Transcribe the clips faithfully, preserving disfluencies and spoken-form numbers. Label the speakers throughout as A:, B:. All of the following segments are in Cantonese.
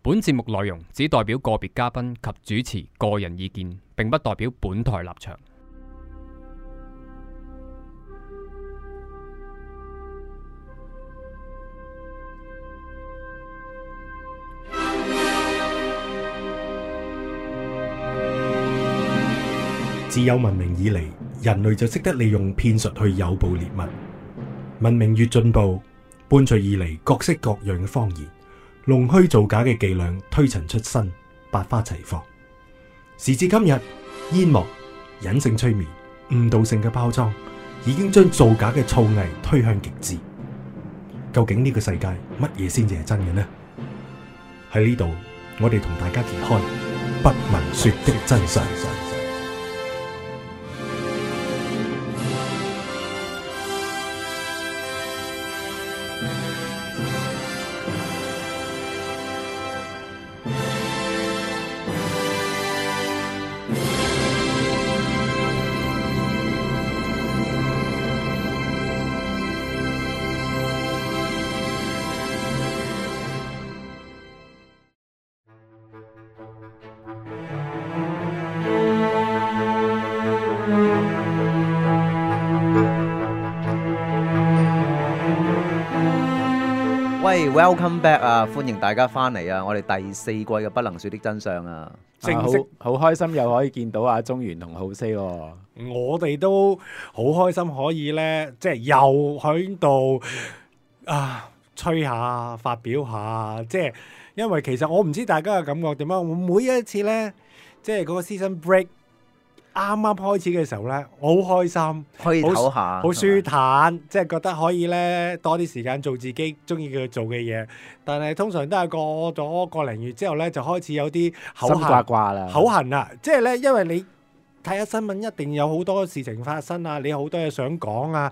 A: 本節目內容只代表個別嘉賓及主持個人意見，並不代表本台立場。
B: 自有文明以嚟，人類就識得利用騙術去誘捕獵物。文明越進步，伴隨而嚟各式各樣嘅謊言，弄虛造假嘅伎倆推陳出新，百花齊放。時至今日，煙幕、隱性催眠、誤導性嘅包裝，已經將造假嘅造詣推向極致。究竟呢個世界乜嘢先至係真嘅呢？喺呢度，我哋同大家揭開不聞說的真相。
C: 喂 ，Welcome back 啊！歡迎大家翻嚟啊！我哋第四季嘅不能說的真相啊，
D: 正式好開心又可以見到阿中原同浩 C 喎。
B: 我哋都好開心可以咧，即係又喺度啊吹下、發表下，即係因為其實我唔知大家嘅感覺點樣。我每一次咧，即係嗰個 season break 啱啱開始嘅時候咧，我好開心，
C: 可以唞下，
B: 好舒坦，即係覺得可以咧多啲時間做自己中意嘅做嘅嘢。但係通常都係過咗個零月之後咧，就開始有啲口
D: 心掛掛啦，
B: 口痕啦。即係咧，因為你睇下新聞，一定有好多事情發生啊，你好多嘢想講啊，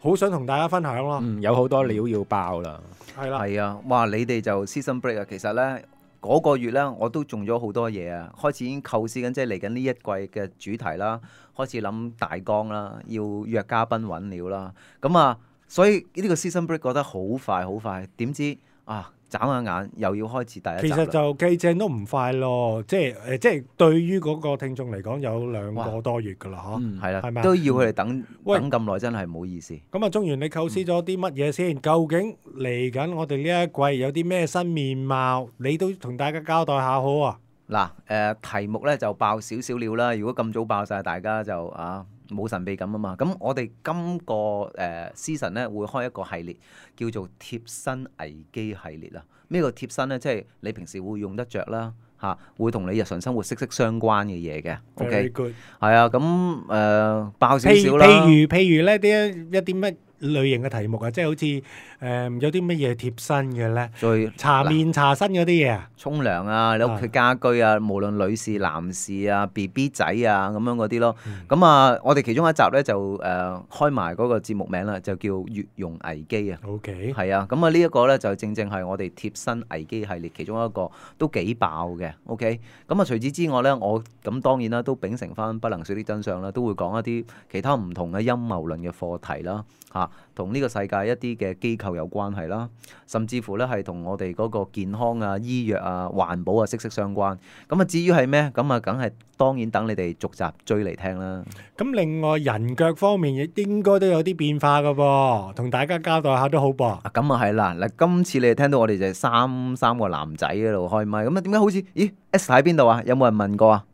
B: 好想同大家分享咯。
D: 嗯，有好多料要爆啦，
B: 係啦，
C: 係啊，哇！你哋就 season break 啊，其實咧。嗰個月咧，我都中咗好多嘢啊！開始已經構思緊，即係嚟緊呢一季嘅主題啦，開始諗大綱啦，要約嘉賓揾料啦。咁啊，所以呢個 season break 覺得好快好快，點知啊，眨下眼又要開始第一集。
B: 其實就計正都唔快咯，即係誒，即係對於嗰個聽眾嚟講，有兩個多月噶啦，嗬。
D: 嗯，
C: 係啦，
B: 係咪
C: 都要佢哋等
B: 喂
C: 等咁耐，真係唔好意思。
B: 咁啊，中原你構思咗啲乜嘢先？究竟嚟緊我哋呢一季有啲咩新面貌？你都同大家交代下好啊！
C: 嗱，誒題目咧就爆少少料啦。如果咁早爆晒，大家就啊冇神秘感啊嘛。咁我哋今個誒 season 咧會開一個系列，叫做貼身危機系列啦。咩叫貼身咧？即係你平時會用得着啦，嚇，會同你日常生活息息相關嘅嘢嘅。OK，
B: Very good。
C: 係啊，咁誒、呃、爆少
B: 譬
C: 少啦。
B: 譬如譬如咧啲一啲乜類型嘅題目啊，即係好似誒、呃、有啲乜嘢貼身嘅咧？
C: 再
B: 搽面搽身嗰啲嘢啊？
C: 沖涼啊，你屋企家居啊，無論女士、男士啊、B B 仔啊咁樣嗰啲咯。咁、嗯、啊，我哋其中一集咧就誒、呃、開埋嗰個節目名啦，就叫月容危機啊。
B: OK，
C: 係啊，咁啊呢一個咧就正正係我哋貼身危機系列其中一個都幾爆嘅。OK，咁啊除此之外咧，我咁當然啦都秉承翻不能說的真相啦，都會講一啲其他唔同嘅陰謀論嘅課題啦，嚇同呢個世界一啲嘅機構有關係啦，甚至乎咧係同我哋嗰個健康啊、醫藥啊、環保啊息息相關。咁啊至於係咩？咁啊梗係當然等你哋逐集追嚟聽啦。
B: 咁另外人腳方面亦應該都有啲變化噶噃，同大家交代下都好噃。
C: 啊咁啊係啦，嗱今次你哋聽到我哋就係三三個男仔喺度開麥，咁啊點解好似咦 Esther 喺邊度啊？有冇人問過啊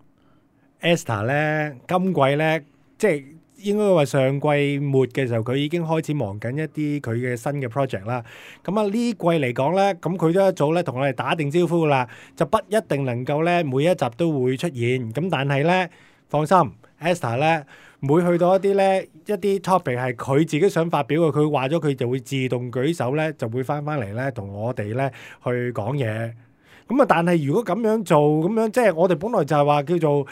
B: Esther 咧今季咧即係。應該話上季末嘅時候，佢已經開始忙緊一啲佢嘅新嘅 project 啦。咁啊呢季嚟講咧，咁佢都一早咧同我哋打定招呼啦，就不一定能夠咧每一集都會出現。咁但係咧，放心 ，Esther 咧每去到一啲咧一啲 topic 係佢自己想發表嘅，佢話咗佢就會自動舉手咧，就會翻翻嚟咧同我哋咧去講嘢。咁啊，但係如果咁樣做，咁樣即係我哋本來就係話叫做。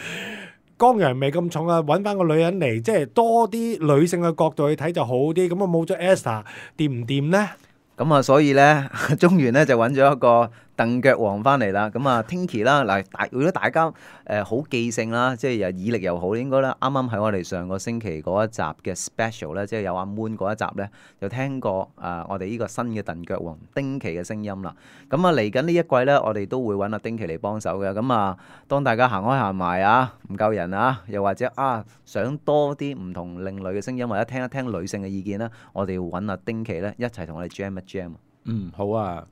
B: 江陽味咁重啊，揾翻個女人嚟，即係多啲女性嘅角度去睇就好啲。咁啊冇咗 Esther 掂唔掂呢？
C: 咁啊，所以咧，中原咧就揾咗一個蹬腳王翻嚟啦，咁啊 Tinky 啦，嗱大如果大家誒好、呃、記性啦，即係又耳力又好，應該咧啱啱喺我哋上個星期嗰一集嘅 special 咧，即係有阿 Moon 嗰一集咧，就聽過啊、呃、我哋呢個新嘅蹬腳王丁奇嘅聲音啦。咁啊嚟緊呢一季咧，我哋都會揾阿丁奇嚟幫手嘅。咁啊，當大家行開行埋啊，唔夠人啊，又或者啊想多啲唔同另類嘅聲音，或者聽一聽女性嘅意見咧，我哋要揾阿丁奇咧一齊同我哋 jam 一 jam。
D: 嗯，好啊。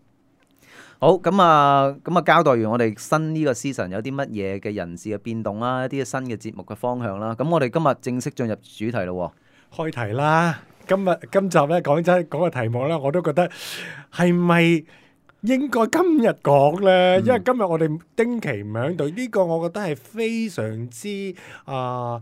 C: 好咁啊，咁啊交代完我哋新呢個 season 有啲乜嘢嘅人事嘅變動啦，一啲新嘅節目嘅方向啦。咁我哋今日正式進入主題咯。
B: 開題啦！今日今集咧講真講個題目咧，我都覺得係咪應該今日講咧？因為今日我哋丁奇唔喺度，呢個我覺得係非常之啊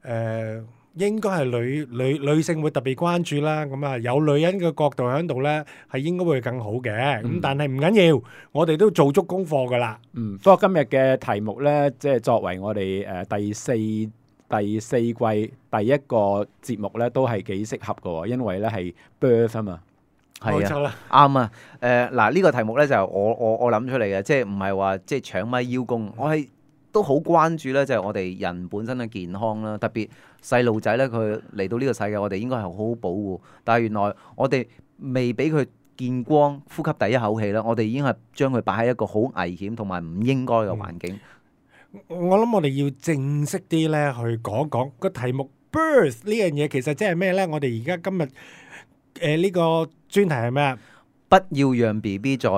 B: 誒。應該係女女女性會特別關注啦，咁啊有女人嘅角度喺度咧，係應該會更好嘅。咁、嗯、但係唔緊要，我哋都做足功課噶啦。
D: 嗯，不過今日嘅題目咧，即係作為我哋誒、呃、第四第四季第一個節目咧，都係幾適合嘅，因為咧係 birth 啊嘛。
C: 係啊，啱啊。誒嗱呢個題目咧就係我我我諗出嚟嘅，即係唔係話即係搶咪邀功，我係。都好關注咧，就係我哋人本身嘅健康啦，特別細路仔咧，佢嚟到呢個世界，我哋應該係好好保護。但係原來我哋未俾佢見光、呼吸第一口氣啦，我哋已經係將佢擺喺一個好危險同埋唔應該嘅環境。
B: 嗯、我諗我哋要正式啲咧去講講個題目 birth 呢樣嘢，其實即係咩咧？我哋而家今日誒呢、呃這個專題係咩啊？
C: 不要讓 B B 在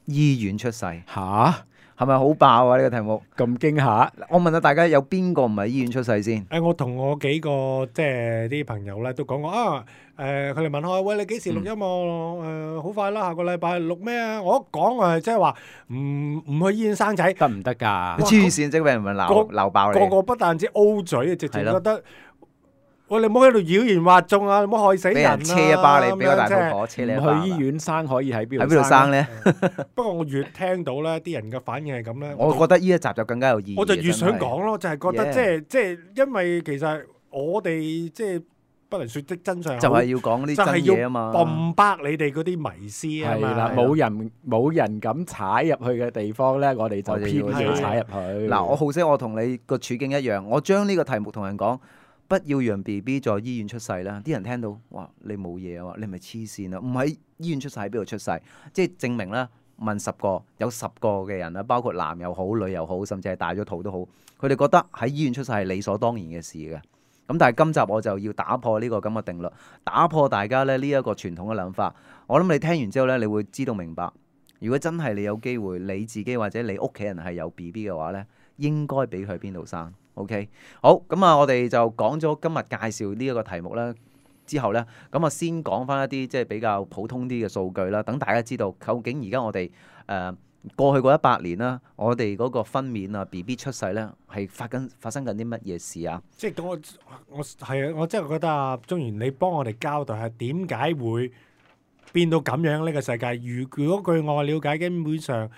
C: 醫院出世。
D: 吓？
C: 係咪好爆啊？呢、這個題目
D: 咁驚嚇！
C: 我問下大家，有邊個唔係醫院出世先？
B: 誒、呃，我同我幾個即係啲朋友咧都講過啊。誒、呃，佢哋問我：喂，你幾時錄音啊？誒、嗯，好、呃、快啦，下個禮拜錄咩啊？我一講誒，即係話唔唔去醫院生仔
D: 得唔得㗎？
C: 黐線，即係俾人鬧鬧爆你。
B: 個個不但止 O 嘴，直情覺得。喂，你唔好喺度妖言惑眾啊！你唔好害死人啊！
C: 俾人車一巴你，俾個大肚婆車你一巴。
D: 去醫院生可以喺邊度？
C: 喺邊度生咧？
B: 不過我越聽到咧，啲人嘅反應係咁咧，
C: 我覺得呢一集就更加有意義。
B: 我就越想講咯，就係覺得即係即係，因為其實我哋即係不能説的真相，
C: 就係要講啲真嘢啊嘛，bomb
B: back你哋嗰啲迷思啊嘛。
D: 係啦，冇人冇人敢踩入去嘅地方咧，我哋就偏要踩入去。
C: 嗱，我好識我同你個處境一樣，我將呢個題目同人講。不要讓 B B 在醫院出世啦！啲人聽到，哇！你冇嘢啊？你係咪黐線啊？唔喺醫院出世喺邊度出世？即係證明啦，問十個有十個嘅人啦，包括男又好、女又好，甚至係大咗肚都好，佢哋覺得喺醫院出世係理所當然嘅事嘅。咁但係今集我就要打破呢個咁嘅定律，打破大家咧呢一個傳統嘅諗法。我諗你聽完之後咧，你會知道明白，如果真係你有機會，你自己或者你屋企人係有 B B 嘅話咧，應該俾佢喺邊度生。OK， 好，咁啊，我哋就講咗今日介紹呢一個題目啦，之後咧，咁啊先講翻一啲即係比較普通啲嘅數據啦，等大家知道究竟而家我哋誒、呃、過去嗰一百年啦，我哋嗰個分娩啊 B B 出世咧係發緊發生緊啲乜嘢事啊？
B: 即係我我係啊，我真係覺得啊，中原你幫我哋交代下點解會變到咁樣呢個世界？如如果據我了解，基本上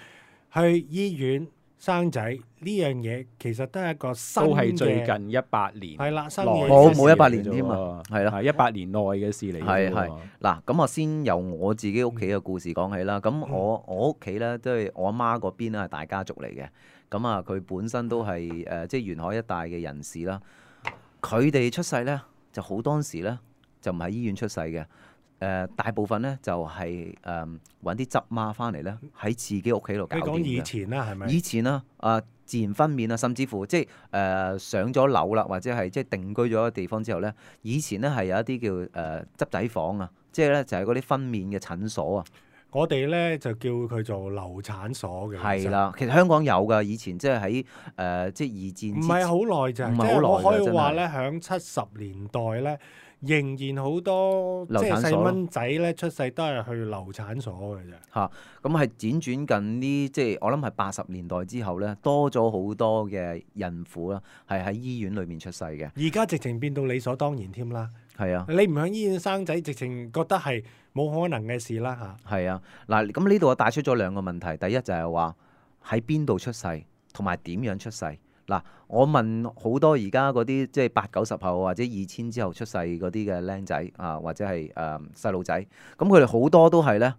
B: 去醫院生仔呢樣嘢其實都係一個新嘅，
D: 都係最近一百年
B: 係啦，新嘅
C: 冇冇一百年添啊，係啦，
D: 係一百年內嘅事嚟。
C: 係係嗱，咁我先由我自己屋企嘅故事講起啦。咁我我屋企咧都係我阿媽嗰邊咧係大家族嚟嘅。咁啊，佢本身都係誒、呃、即係沿海一帶嘅人士啦。佢哋出世咧就好多時咧就唔喺醫院出世嘅。誒、呃、大部分咧就係誒揾啲執媽翻嚟咧喺自己屋企度搞掂嘅。
B: 你講以前啦，係咪？
C: 以前啦，啊、呃、自然分娩啊，甚至乎即係誒、呃、上咗樓啦，或者係即係定居咗個地方之後咧，以前咧係有一啲叫誒、呃、執仔房啊，即係咧就係嗰啲分娩嘅診所啊。
B: 我哋咧就叫佢做流產所嘅。
C: 係啦，其實香港有㗎，以前即係喺誒即係二戰。唔
B: 係好耐咋，
C: 唔係好耐。
B: 我可以話咧，響七十年代咧。仍然好多即係細蚊仔咧出世都係去流產所嘅啫。
C: 嚇，咁係輾轉近呢，即係我諗係八十年代之後咧，多咗好多嘅孕婦啦，係喺醫院裏面出世嘅。
B: 而家直情變到理所當然添啦。
C: 係啊，
B: 你唔喺醫院生仔，直情覺得係冇可能嘅事啦嚇。
C: 係啊，嗱，咁呢度我帶出咗兩個問題，第一就係話喺邊度出世，同埋點樣出世。嗱，我問好多而家嗰啲即係八九十後或者二千之後出世嗰啲嘅僆仔啊，或者係誒細路仔，咁佢哋好多都係咧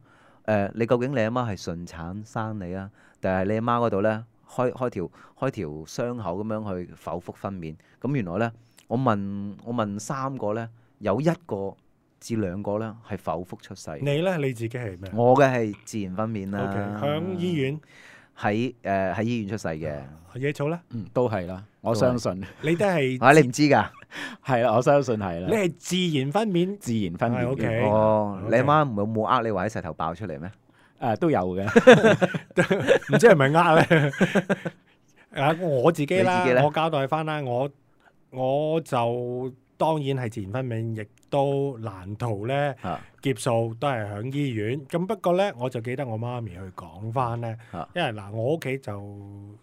C: 誒，你究竟你阿媽係順產生你啊，定係你阿媽嗰度咧開開條開條傷口咁樣去剖腹分娩？咁原來咧，我問我問三個咧，有一個至兩個咧係剖腹出世。
B: 你咧你自己係咩
C: 我嘅係自然分娩
B: ？O K，
C: 啦。
B: 響醫院
C: 喺誒喺醫院出世嘅。
B: 野草咧，
D: 嗯，都係啦，我相信
B: 你都係
C: 啊，你唔知㗎？
D: 係啦，我相信係啦，
B: 你係自然分娩。
D: 自然分娩
B: 係，OK
D: 嘅，
C: 哦，
B: OK
C: 你阿媽冇冇呃你話喺石頭爆出嚟咩？
D: 誒都有嘅，
B: 唔知係咪呃咧？啊，我自己啦
C: 你自己呢，
B: 我交代翻啦，我我就當然係自然分娩，亦都難逃咧
C: 啊
B: 劫數，都係響醫院。咁不過咧，我就記得我媽咪去講翻咧，
C: 啊
B: 因為嗱，我屋企就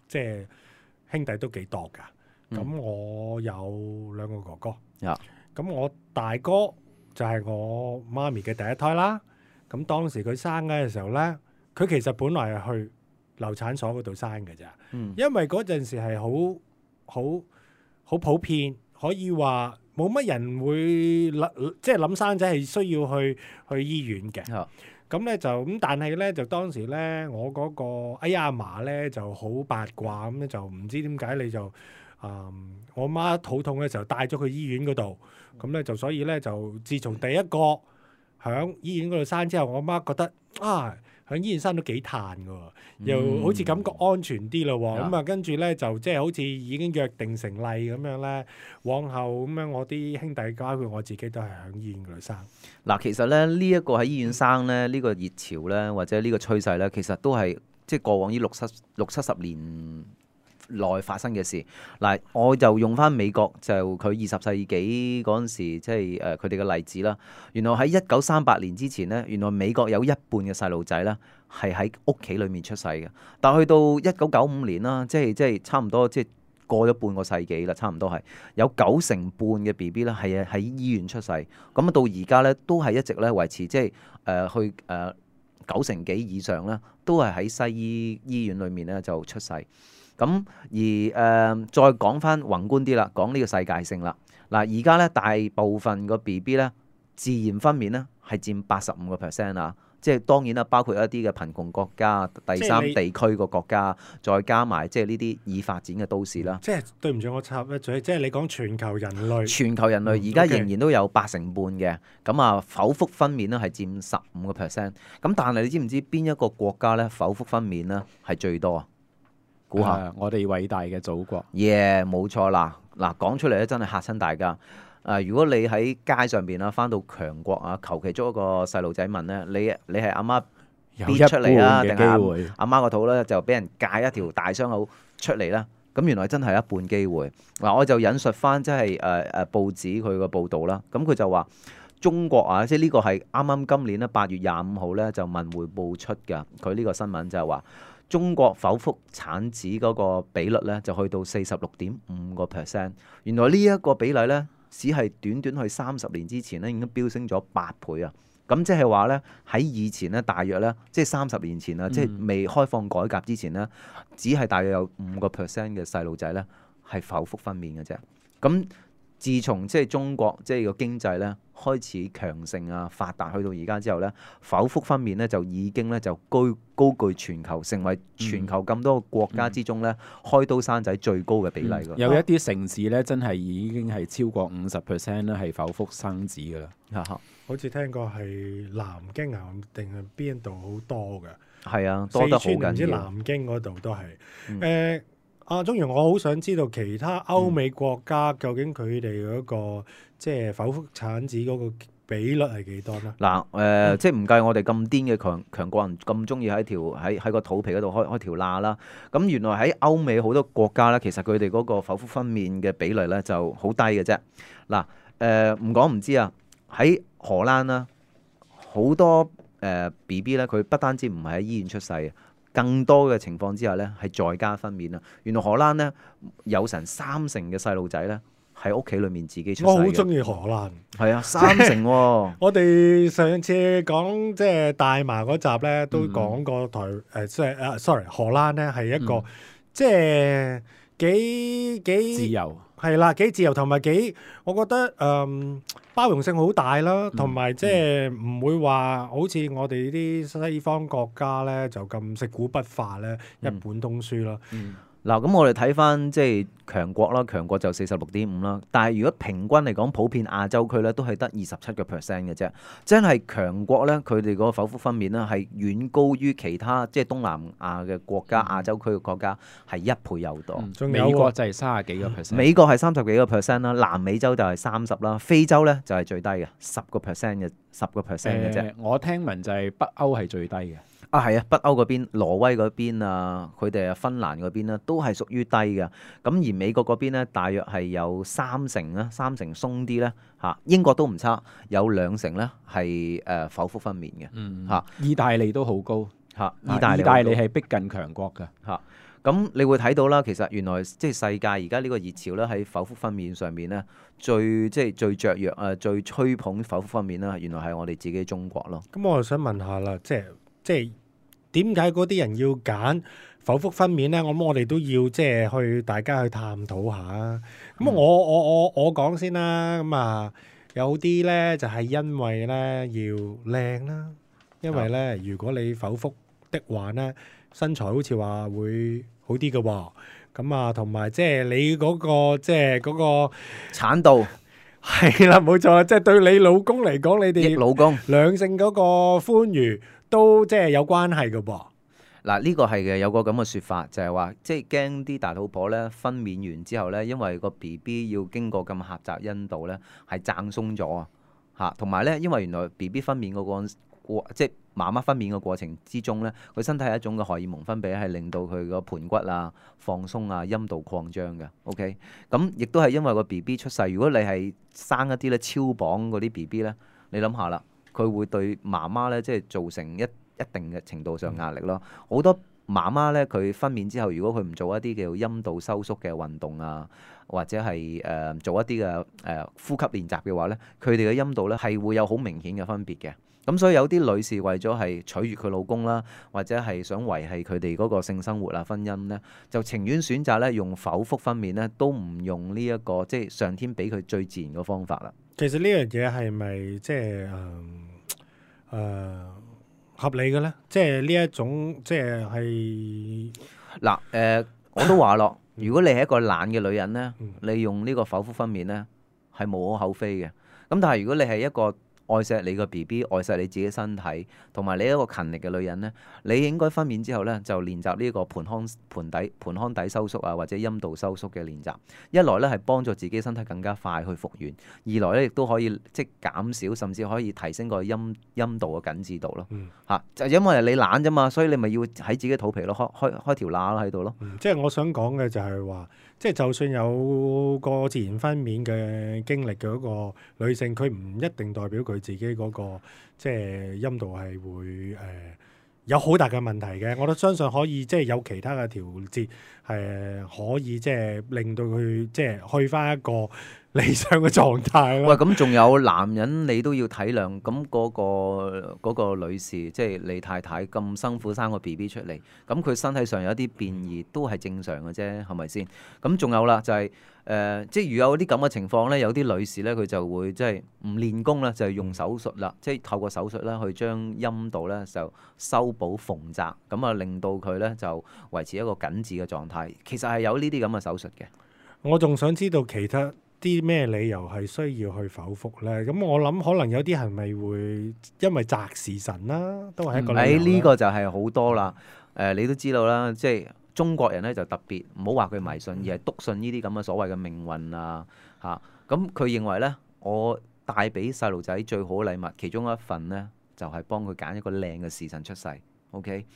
B: 即係兄弟都幾多噶，咁、
C: 嗯
B: 我有兩個哥哥，
C: 啊
B: 咁我大哥就係我媽咪嘅第一胎啦。咁當時佢生嘅時候咧，佢其實本來係去流產所嗰度生嘅咋，
C: 嗯
B: 因為嗰陣時係好好好普遍，可以話冇乜人會諗，即係諗生仔係需要去去醫院嘅。
C: 啊
B: 咁咧就咁，但係咧就當時咧，我嗰、個哎呀阿嫲咧就好八卦，咁咧就唔知點解你就啊、我媽肚痛嘅時候帶咗去醫院嗰度，咁咧就所以咧就自從第一個響醫院嗰度生之後，我媽覺得啊響醫院生都幾嘆㗎喎，又好似感覺安全啲咯喎，咁啊跟住咧就即係好似已經約定成例咁樣咧，往後咁樣我啲兄弟包括我自己都係響醫院嗰度生。
C: 嗱，其實咧呢一個喺醫院生咧，呢個熱潮咧，或者呢個趨勢咧，其實都係即係過往呢六七六七十年內發生嘅事。嗱，我就用翻美國就佢二十世紀嗰陣時，即係誒佢哋嘅例子啦。原來喺一九三八年之前咧，原來美國有一半嘅細路仔咧係喺屋企裡面出世嘅。但係去到一九九五年啦，即係即係差唔多即係過咗半個世紀啦，差唔多係有九成半嘅 B B 咧係喺醫院出世。咁啊到而家咧都係一直咧維持即係誒去誒、呃、九成幾以上咧，都係喺西醫醫院裡面咧就出世。咁而誒、呃、再講翻宏觀啲啦，講呢個世界性啦。嗱，而家咧大部分個 B B 咧自然分娩咧係佔八十五個 percent 啊。即係當然啦，包括一啲嘅貧窮國家、第三地區個國家，再加埋即係呢啲已發展嘅都市啦。
B: 即係對唔住，我插一嘴，即係你講全球人類，
C: 全球人類而家仍然都有八成半嘅，咁啊剖腹分娩咧係佔十五個 percent。咁但係你知唔知邊一個國家咧剖腹分娩咧係最多啊？估下，
D: 誒我哋偉大嘅祖國，
C: 耶，冇錯啦！嗱，講出嚟咧真係嚇親大家。啊！如果你喺街上邊啊，翻到強國啊，求其捉一個細路仔問咧，你你係阿媽逼
D: 有一
C: 出嚟啊，定
D: 半嘅機
C: 係
D: 會，
C: 阿媽個肚咧就俾人戒一條大傷口出嚟啦？咁原來真係一半機會。嗱，我就引述翻即係誒誒報紙佢個報導啦。咁佢就話中國啊，即係呢個係啱啱今年咧八月廿五號咧就文匯報出㗎。佢呢個新聞就係話中國剖腹產子嗰個比率咧就去到四十六點五個 percent。原來呢一個比例咧，只係短短去三十年之前咧，已經飆升咗八倍啊！咁即係話咧，喺以前咧，大約咧，即係三十年前啊，
D: 嗯
C: 即係未開放改革之前咧，只係大約有五個 percent 嘅細路仔咧係剖腹分娩嘅啫。咁自從即係中國即係個經濟咧開始強盛啊發達，去到而家之後咧，剖腹分娩咧就已經咧就高高居全球，成為全球咁多個國家之中咧、嗯、開刀生仔最高嘅比例㗎、
D: 嗯。有一啲城市咧，真係已經係超過五十 percent 咧係剖腹生子㗎啦。
B: 好似聽過係南京啊，定係邊度好多嘅？
C: 係啊，多得好
B: 四川唔知
C: 緊要。
B: 南京嗰度都係。誒、
C: 嗯
B: 呃，阿鐘如，我好想知道其他歐美國家究竟佢哋嗰個即係剖腹產子嗰個比率係幾多呢？
C: 嗱，誒、呃，即係唔計我哋咁癲嘅強強國人咁中意喺條喺喺個肚皮嗰度開開條罅啦。咁原來喺歐美好多國家咧，其實佢哋嗰個剖腹分娩嘅比例咧就好低嘅啫。嗱，誒唔講唔知啊，喺荷蘭啦，好多誒 B B 咧，佢、呃、不單止唔係喺醫院出世，更多嘅情況之下咧係在家分娩啊。原來荷蘭咧有成三成嘅細路仔咧喺屋企裏面自己出世嘅。
B: 我好中意荷蘭。
C: 係啊，三成喎、哦。
B: 我哋上次講即係大麻嗰集咧，都講過台誒，即係啊，sorry，荷蘭咧係一個、
D: 嗯、
B: 即係幾幾
D: 自由
B: 係啦，幾自由同埋幾，我覺得誒、嗯、包容性好大啦，同埋即係唔會話好似我哋啲西方國家咧就咁食古不化咧，一本通書啦。
C: 嗯嗱，咁我哋睇翻即係強國啦，強國就四十六點五啦。但係如果平均嚟講，普遍亞洲區咧都係得二十七個 percent 嘅啫。真係強國咧，佢哋個剖腹分娩咧係遠高於其他即係東南亞嘅國家、亞洲區嘅國家係一倍有多。
B: 仲有
D: 美國就係三十幾個 percent，
C: 美國係三十幾個 percent 啦，南美洲就係三十啦，非洲咧就係最低嘅十個 percent 嘅十個 percent 嘅啫。
D: 誒我聽聞就係北歐係最低嘅。
C: 啊，係啊，北歐嗰邊、挪威嗰邊啊，佢哋啊、芬蘭嗰邊咧，都係屬於低嘅。咁而美國嗰邊咧，大約係有三成啦，三成鬆啲咧嚇。英國都唔差，有兩成咧係誒剖腹分娩嘅
D: 嗯
C: 嚇
D: 意大利都好高
C: 嚇。
D: 意大利意大利係逼近強國㗎。
C: 嚇。咁你會睇到啦，其實原來即係世界而家呢個熱潮咧，喺剖腹分娩上面咧，最即係最雀躍啊，最吹捧剖腹分娩啦，原來係我哋自己中國咯。
B: 咁我就想問下啦，即係即係點解嗰啲人要揀剖腹分娩咧？我諗我哋都要即係去大家去探討下啊。咁我我我我講先啦。咁啊，有啲咧就係因為咧要靚啦，因為咧如果你剖腹的話咧，身材好似話會好啲嘅喎。咁啊，同埋即係你嗰個即係嗰個
C: 產道
B: 係啦，冇錯，即係對你老公嚟講，你
C: 益
B: 哋
C: 老公。
B: 兩性嗰個歡愉都即係有關係嘅噃。
C: 嗱，呢個係嘅，有個咁嘅説法，就係話，即係驚啲大肚婆咧分娩完之後咧，因為個 B B 要經過咁狹窄陰道咧，係掙鬆咗啊嚇，同埋咧，因為原來 B B 分娩嗰個過，即係媽媽分娩嘅過程之中咧，佢身體係一種嘅荷爾蒙分泌，係令到佢個盤骨啊放鬆啊，陰道擴張嘅。OK，咁亦都係因為個 B B 出世，如果你係生一啲咧超磅嗰啲 B B 咧，你諗下啦，佢會對媽媽咧即係造成一一定嘅程度上壓力咯。好多媽媽咧，佢分娩之後，如果佢唔做一啲叫陰道收縮嘅運動啊，或者係誒、呃、做一啲嘅誒呼吸練習嘅話咧，佢哋嘅陰道咧係會有好明顯嘅分別嘅。咁所以有啲女士為咗係取悅佢老公啦，或者係想維係佢哋嗰個性生活啊、婚姻咧，就情願選擇咧用剖腹分娩咧，都唔用呢、這、一個即係上天俾佢最自然嘅方法啦。
B: 其實呢樣嘢係咪即係誒誒合理嘅咧？即係呢一種即係係
C: 嗱誒，我都話咯，如果你係一個懶嘅女人咧，
B: 嗯
C: 你用呢個剖腹分娩咧係無可厚非嘅。咁但係如果你係一個愛錫你個 B B， 愛錫你自己身體，同埋你一個勤力嘅女人呢，你應該分娩之後呢，就練習呢個盆腔盆底盆腔底收縮啊，或者陰道收縮嘅練習。一來呢係幫助自己身體更加快去復原，二來呢亦都可以即係減少，甚至可以提升個陰陰道嘅緊緻度咯。嚇、
B: 嗯
C: 啊，就因為你懶啫嘛，所以你咪要喺自己肚皮咯，開開開條罅咯喺度咯。
B: 嗯即係我想講嘅就係話，即係就算有個自然分娩嘅經歷嘅嗰個女性，佢唔一定代表佢自己嗰、個即係陰道係會誒、呃、有好大嘅問題嘅。我都相信可以即係有其他嘅調節，係可以即係令到佢即係去翻一個理想嘅狀態
C: 喂，
B: 咯。
C: 咁仲有男人你都要體諒，咁嗰、個嗰、個女士，即係你太太咁辛苦生個 B B 出嚟，咁佢身體上有一啲變異都係正常嘅啫，係咪先？咁仲有啦，就係、誒，即係如果有啲咁嘅情況咧，有啲女士咧佢就會即係唔練功啦，就係用手術啦，即係透過手術啦去將陰道咧就修補縫窄，咁啊令到佢咧就維持一個緊緻嘅狀態。其實係有呢啲咁嘅手術嘅。
B: 我仲想知道其他啲咩理由係需要去剖腹咧？咁我諗可能有啲係咪會因為擇時辰啦，都係一個理由啦。
C: 誒呢個就係好多啦。誒、你都知道啦，即係中國人咧就特別唔好話佢迷信，而係篤信呢啲咁嘅所謂嘅命運啊嚇。咁、佢認為咧，我帶俾細路仔最好嘅禮物，其中一份咧就係、幫佢揀一個靚嘅時辰出世。OK。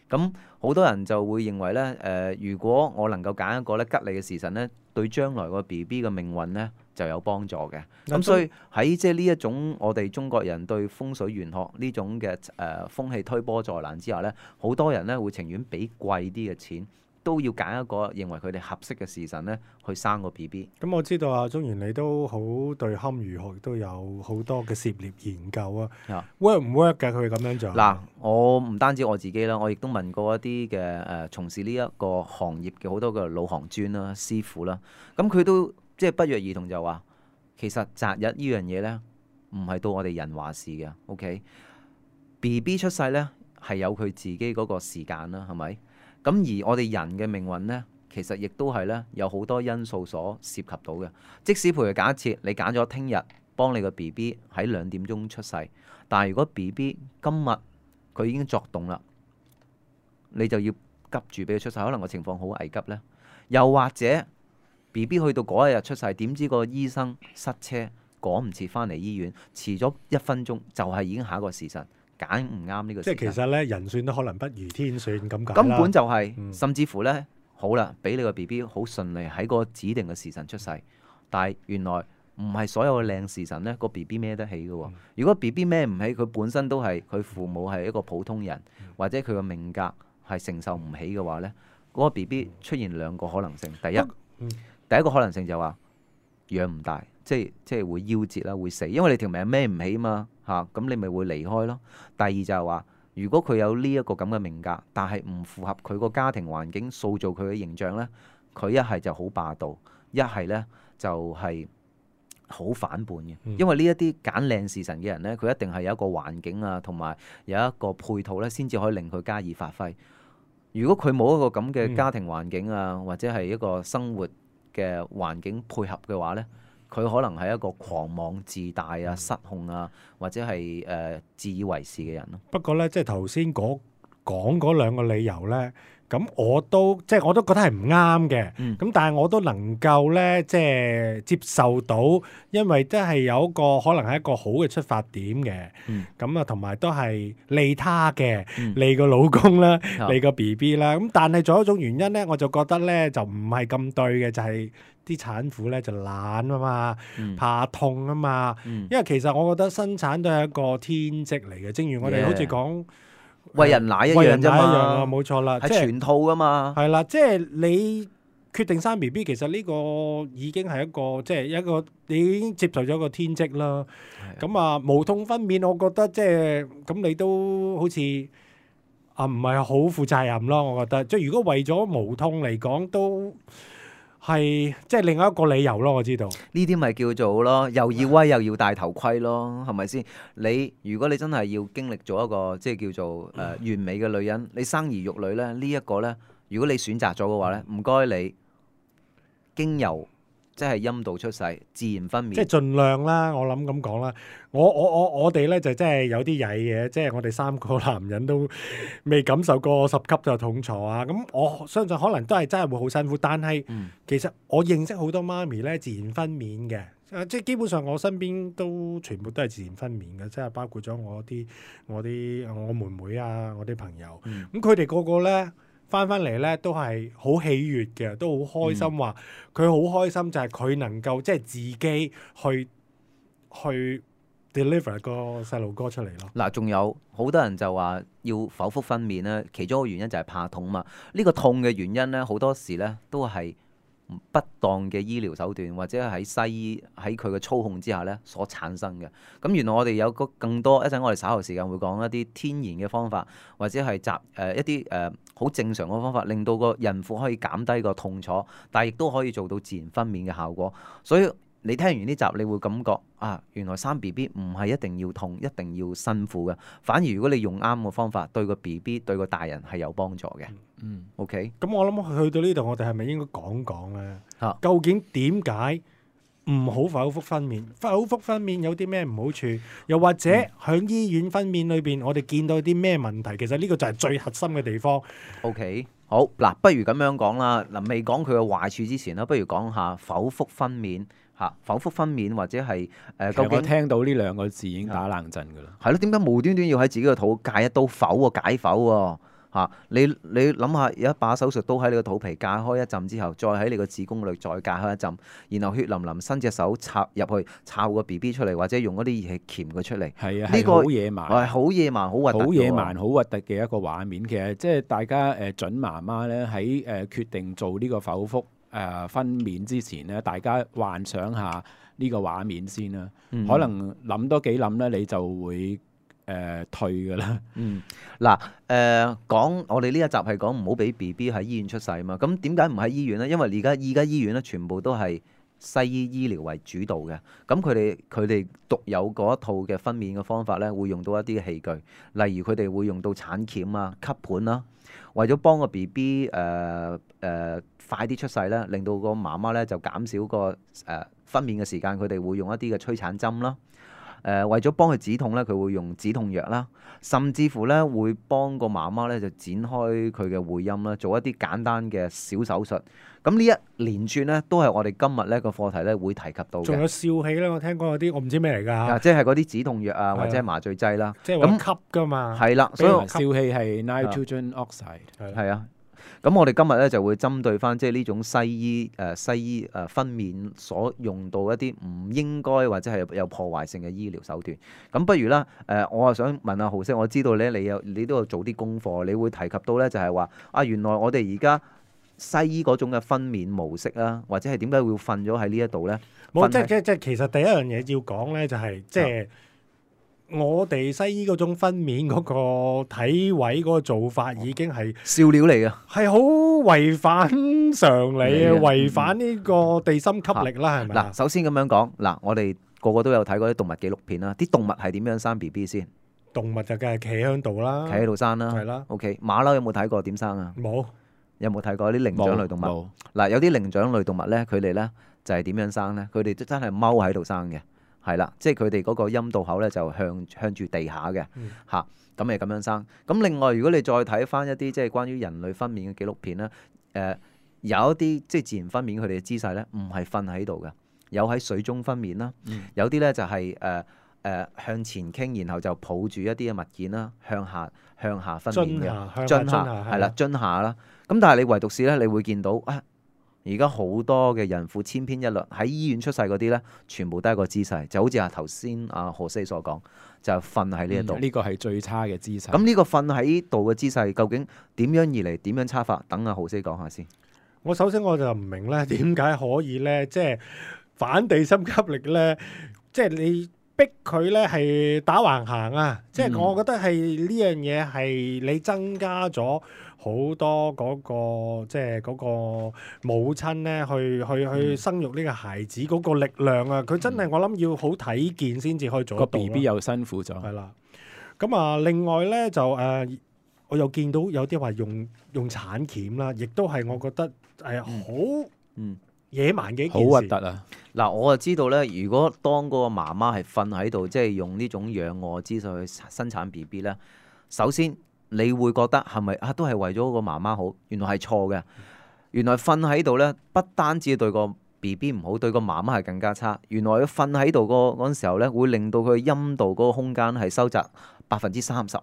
C: 咁好多人就會認為咧，誒、如果我能夠揀一個咧吉利嘅時辰咧，對將來個 B B 嘅命運咧就有幫助嘅。咁所以喺即係呢一種我哋中國人對風水玄學呢種嘅誒、呃、風氣推波助瀾之下咧，好多人咧會情願俾貴啲嘅錢，都要揀一個認為佢哋合適嘅時辰咧去生個 B B。
B: 咁我知道啊，中原你都好對堪輿學都有好多嘅涉獵研究啊。
C: 啊
B: work 唔 work 㗎？佢咁樣做
C: 嗱，我唔單止我自己啦，我亦都問過一啲嘅誒從事呢一個行業嘅好多嘅老行專啦、師傅啦，咁佢都即係不約而同就話，其實擇日呢樣嘢咧，唔係到我哋人話事嘅。OK，B B 出世咧係有佢自己嗰個時間啦，係咪？咁而我哋人嘅命運咧，其實亦都係咧有好多因素所涉及到嘅。即使譬如假設你揀咗聽日幫你個 B B 喺兩點鐘出世，但係如果 B B 今日佢已經作動啦，你就要急住俾佢出世，可能個情況好危急咧。又或者 B B 去到嗰一日出世，點知個醫生塞車趕唔切翻嚟醫院，遲咗一分鐘就係已經下一個時辰。揀唔啱呢個時間，
B: 即係其實咧，人算都可能不如天算咁解啦。
C: 根本就係、是，
B: 嗯、
C: 甚至乎咧，好啦，俾你個 B B 好順利喺個指定嘅時辰出世，但係原來唔係所有嘅靚時辰咧，個 B B 孭得起嘅喎。嗯、如果 B B 孭唔起，佢本身都係佢父母係一個普通人，嗯、或者佢個命格係承受唔起嘅話咧，嗰、那個 B B 出現兩個可能性。第一，嗯、第一個可能性就話養唔大，即係即係會夭折啦，會死，因為你條命孭唔起嘛。嚇，咁、啊、你咪會離開咯。第二就係話，如果佢有呢一個咁嘅命格，但係唔符合佢個家庭環境塑造佢嘅形象呢，佢一係就好霸道，一係呢就係、是、好反叛嘅。
B: 嗯、
C: 因為呢一啲揀靚時辰嘅人呢，佢一定係有一個環境啊，同埋有一個配套呢，先至可以令佢加以發揮。如果佢冇一個咁嘅家庭環境啊，
B: 嗯、
C: 或者係一個生活嘅環境配合嘅話呢，佢可能係一個狂妄自大啊、失控啊，或者係誒、呃、自以為是嘅人咯。
B: 不過咧，即係頭先講講嗰兩個理由咧，咁我都即係我都覺得係唔啱嘅。咁、
C: 嗯、
B: 但係我都能夠咧，即係接受到，因為都係有一個可能係一個好嘅出發點嘅。咁啊、嗯，同埋都係利他嘅，嗯、利個老公啦，嗯、利個 B B 啦。咁但係仲有一種原因咧，我就覺得咧就唔係咁對嘅，就係、是。啲產婦咧就懶啊嘛，嗯、怕痛啊嘛，嗯、因為其實我覺得生產都係一個天職嚟嘅，正如我哋好似講
C: 餵人奶一樣啫嘛，
B: 冇錯啦，
C: 係全套噶嘛，
B: 係啦，即係你決定生 B B， 其實呢個已經係一個即係一個你已經接受咗個天職啦。咁的啊無痛分娩，我覺得即係咁你都好似啊唔係好負責任咯。我覺得即係如果為咗無痛嚟講都。係即係另外一個理由咯，我知道
C: 呢啲咪叫做咯，又要威又要戴頭盔咯，係咪先？你如果你真係要經歷咗一個即係叫做誒、呃、完美嘅女人，你生兒育女咧，呢、這、一個咧，如果你選擇咗嘅話咧，唔該你經由即係陰道出世，自然分娩，
B: 即係盡量啦。我諗咁講啦，我我我我哋咧就真係有啲曳嘅，即係我哋三個男人都未感受過十級就痛楚啊。咁我相信可能都係真係會好辛苦，但係、嗯、其實我認識好多媽咪咧自然分娩嘅，即係基本上我身邊都全部都係自然分娩嘅，即係包括咗我啲我啲我妹妹啊，我啲朋友，咁佢哋個個咧。翻翻嚟咧都係好喜悅嘅，都好開心，話佢好開心就係佢能夠即係自己去去 deliver 個細路哥出嚟咯。
C: 嗱，仲有好多人就話要剖腹分娩咧，其中一個原因就係怕痛嘛。呢個痛嘅原因咧，好多時咧都係不當嘅醫療手段，或者喺西醫喺佢嘅操控之下咧所產生嘅。咁原來我哋有個更多，一陣我哋稍後時間會講一啲天然嘅方法，或者係集誒一啲誒好正常嘅方法，令到個孕婦可以減低個痛楚，但係亦都可以做到自然分娩嘅效果。所以你聽完呢集，你會感覺啊，原來生 B B 唔係一定要痛，一定要辛苦嘅。反而如果你用啱個方法，對個 B B 對個大人係有幫助嘅。嗯，OK。
B: 咁我諗去到呢度，我哋係咪應該講講咧？
C: 啊、
B: 究竟點解唔好剖腹分娩？剖腹分娩有啲咩唔好處？又或者喺醫院分娩裏邊，我哋見到啲咩問題？其實呢個就係最核心嘅地方。
C: OK。好嗱，不如咁樣講啦。嗱，未講佢嘅壞處之前啦，不如講下剖腹分娩。嚇，剖腹分娩或者係誒，呃、究竟
D: 我聽到呢兩個字已經打冷震㗎啦。
C: 係咯，點解無端端要喺自己個肚界一刀剖喎，解剖喎？嚇，你你諗下，有一把手術刀喺你個肚皮界開一陣之後，再喺你個子宮裏再界開一陣，然後血淋淋伸隻手插入去，摷個 B B 出嚟，或者用嗰啲儀器鉗佢出嚟。係啊，呢個好野蠻，係好野蠻，好核突。好野蠻，好核突嘅一個畫面。其實即係大家誒準媽媽咧喺誒決定做呢個剖腹。誒、呃、分娩之前咧，大家幻想下呢個畫面先啦。嗯、可能諗多幾諗咧，你就會誒、呃、退㗎啦。嗯，嗱誒、呃、講我哋呢一集係講唔好俾 B B 喺醫院出世嘛。咁點解唔喺醫院咧？因為而家而家醫院咧全部都係西醫醫療為主導嘅。咁佢哋佢哋獨有嗰一套嘅分娩嘅方法咧，會用到一啲嘅器具，例如佢哋會用到產鉗啊、吸盤啦，為咗幫個 B B 誒誒快啲出世咧，令到個媽媽咧就減少個誒、呃、分娩嘅時間，佢哋會用一啲嘅催產針啦。誒、呃、為咗幫佢止痛咧，佢會用止痛藥啦，甚至乎咧會幫個媽媽咧就展開佢嘅會陰啦，做一啲簡單嘅小手術。咁呢一連串咧都係我哋今日咧個課題咧會提及到嘅。
B: 仲有笑氣咧，我聽講有啲我唔知咩嚟㗎
C: 啊，即係嗰啲止痛藥啊，或者係麻醉劑啦。
B: 即係話吸㗎嘛。
C: 係啦，所以
D: 所以笑氣係 nitrogen oxide。
C: 係啊。咁我哋今日咧就會針對翻即係呢種西醫誒、呃、西醫誒、呃、分娩所用到一啲唔應該或者係有破壞性嘅醫療手段。咁不如啦，誒、呃、我啊想問下豪色，我知道咧你有你都有做啲功課，你會提及到咧就係話啊，原來我哋而家西醫嗰種嘅分娩模式啊，或者係點解會瞓咗喺呢一度咧？
B: 冇，即係即係即係其實第一樣嘢要講咧，就係即係。我哋西醫嗰種分娩嗰個體位嗰個做法已經係
C: 笑料嚟嘅，
B: 係好違反常理啊，違反呢個地心吸力啦，係咪啊？
C: 嗱，首先咁樣講，嗱，我哋個個都有睇過啲動物紀錄片啦，啲動物係點樣生 B B 先？
B: 動物就梗係企喺度啦，
C: 企喺度生啦，
B: 係啦。
C: OK，馬騮有冇睇過點生啊？
B: 冇。
C: 有冇睇過啲靈長類動物？嗱，有啲靈長類動物咧，佢哋咧就係點樣生咧？佢哋都真係踎喺度生嘅。係啦，即係佢哋嗰個陰道口咧就向向住地下嘅嚇，咁咪咁樣生。咁另外，如果你再睇翻一啲即係關於人類分娩嘅紀錄片咧，誒、呃、有一啲即係自然分娩佢哋嘅姿勢咧，唔係瞓喺度嘅，有喺水中分娩啦，嗯、有啲咧就係誒誒向前傾，然後就抱住一啲嘅物件啦，向下向下分娩嘅，
B: 樽下
C: 係啦，樽下啦。咁但係你唯獨是咧，你會見到啊。而家好多嘅孕婦千篇一律喺醫院出世嗰啲咧，全部都係個姿勢，就好似啊頭先阿何西所講，就瞓喺呢一度。
D: 呢個係最差嘅姿勢。
C: 咁呢個瞓喺度嘅姿勢，究竟點樣而嚟？點樣差法？等阿何西講下先。
B: 我首先我就唔明咧，點解可以咧，即係反地心吸力咧，即係你逼佢咧係打橫行啊！即係我覺得係呢樣嘢係你增加咗。好多嗰、那個即係嗰個母親咧，去去去生育呢個孩子嗰個力量啊！佢真係我諗要好睇見先至可以做得到。個
D: B B 又辛苦咗。
B: 係啦，咁啊，另外咧就誒、呃，我又見到有啲話用用產鉗啦，亦都係我覺得係好嗯野蠻嘅一件事。好
D: 核突啊！
C: 嗱，我就知道咧，如果當嗰個媽媽係瞓喺度，即係用呢種仰臥姿勢去生產 B B 咧，首先。你會覺得係咪啊？都係為咗個媽媽好，原來係錯嘅。原來瞓喺度咧，不單止對個 B B 唔好，對個媽媽係更加差。原來佢瞓喺度嗰嗰陣時候咧，會令到佢陰道嗰個空間係收窄百分之三十。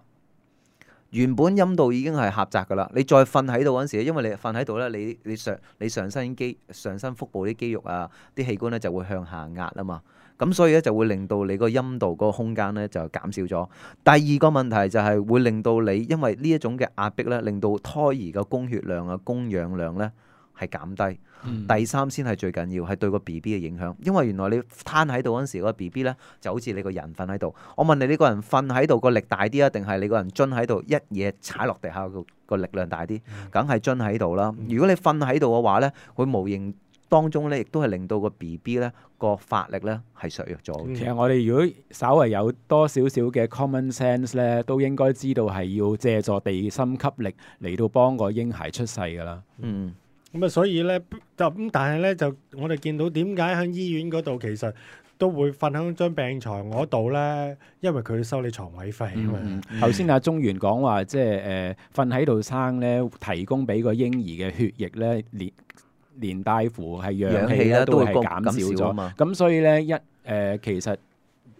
C: 原本陰道已經係狹窄㗎啦，你再瞓喺度嗰陣時，因為你瞓喺度咧，你你上你上身肌、上身腹部啲肌肉啊、啲器官咧就會向下壓啊嘛。咁所以咧就會令到你個陰道嗰個空間咧就減少咗。第二個問題就係會令到你因為呢一種嘅壓迫咧，令到胎兒嘅供血量啊、供氧量咧係減低。嗯、第三先係最緊要係對個 B B 嘅影響，因為原來你攤喺度嗰陣時，個 B B 咧就好似你個人瞓喺度。我問你，你個人瞓喺度個力大啲啊，定係你個人蹲喺度一嘢踩落地下個個力量大啲？梗係蹲喺度啦。如果你瞓喺度嘅話咧，會無形當中咧，亦都係令到個 B B 咧個發力咧係削弱咗。
D: 其實我哋如果稍為有多少少嘅 common sense 咧，都應該知道係要借助地心吸力嚟到幫個嬰孩出世㗎啦。
C: 嗯，
B: 咁啊，所以咧就咁，但係咧就我哋見到點解喺醫院嗰度其實都會瞓喺張病床嗰度咧，因為佢收你床位費啊嘛。
D: 頭先阿中原講話，即係誒瞓喺度生咧，提供俾個嬰兒嘅血液咧，連連帶乎係氧氣咧都係減少咗。咁所以咧一誒、呃、其實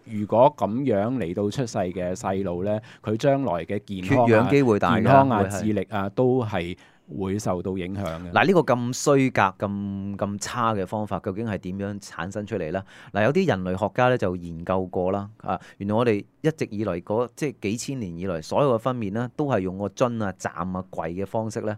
D: 如果咁樣嚟到出世嘅細路咧，佢將來嘅健康啊、
C: 缺氧機會大、
D: 健康啊、智力啊都係會受到影響嘅。
C: 嗱，呢個咁衰格、咁咁差嘅方法，究竟係點樣產生出嚟咧？嗱，有啲人類學家咧就研究過啦。啊，原來我哋一直以來嗰即係幾千年以來所有嘅分娩咧，都係用個樽啊、站啊、櫃嘅方式咧。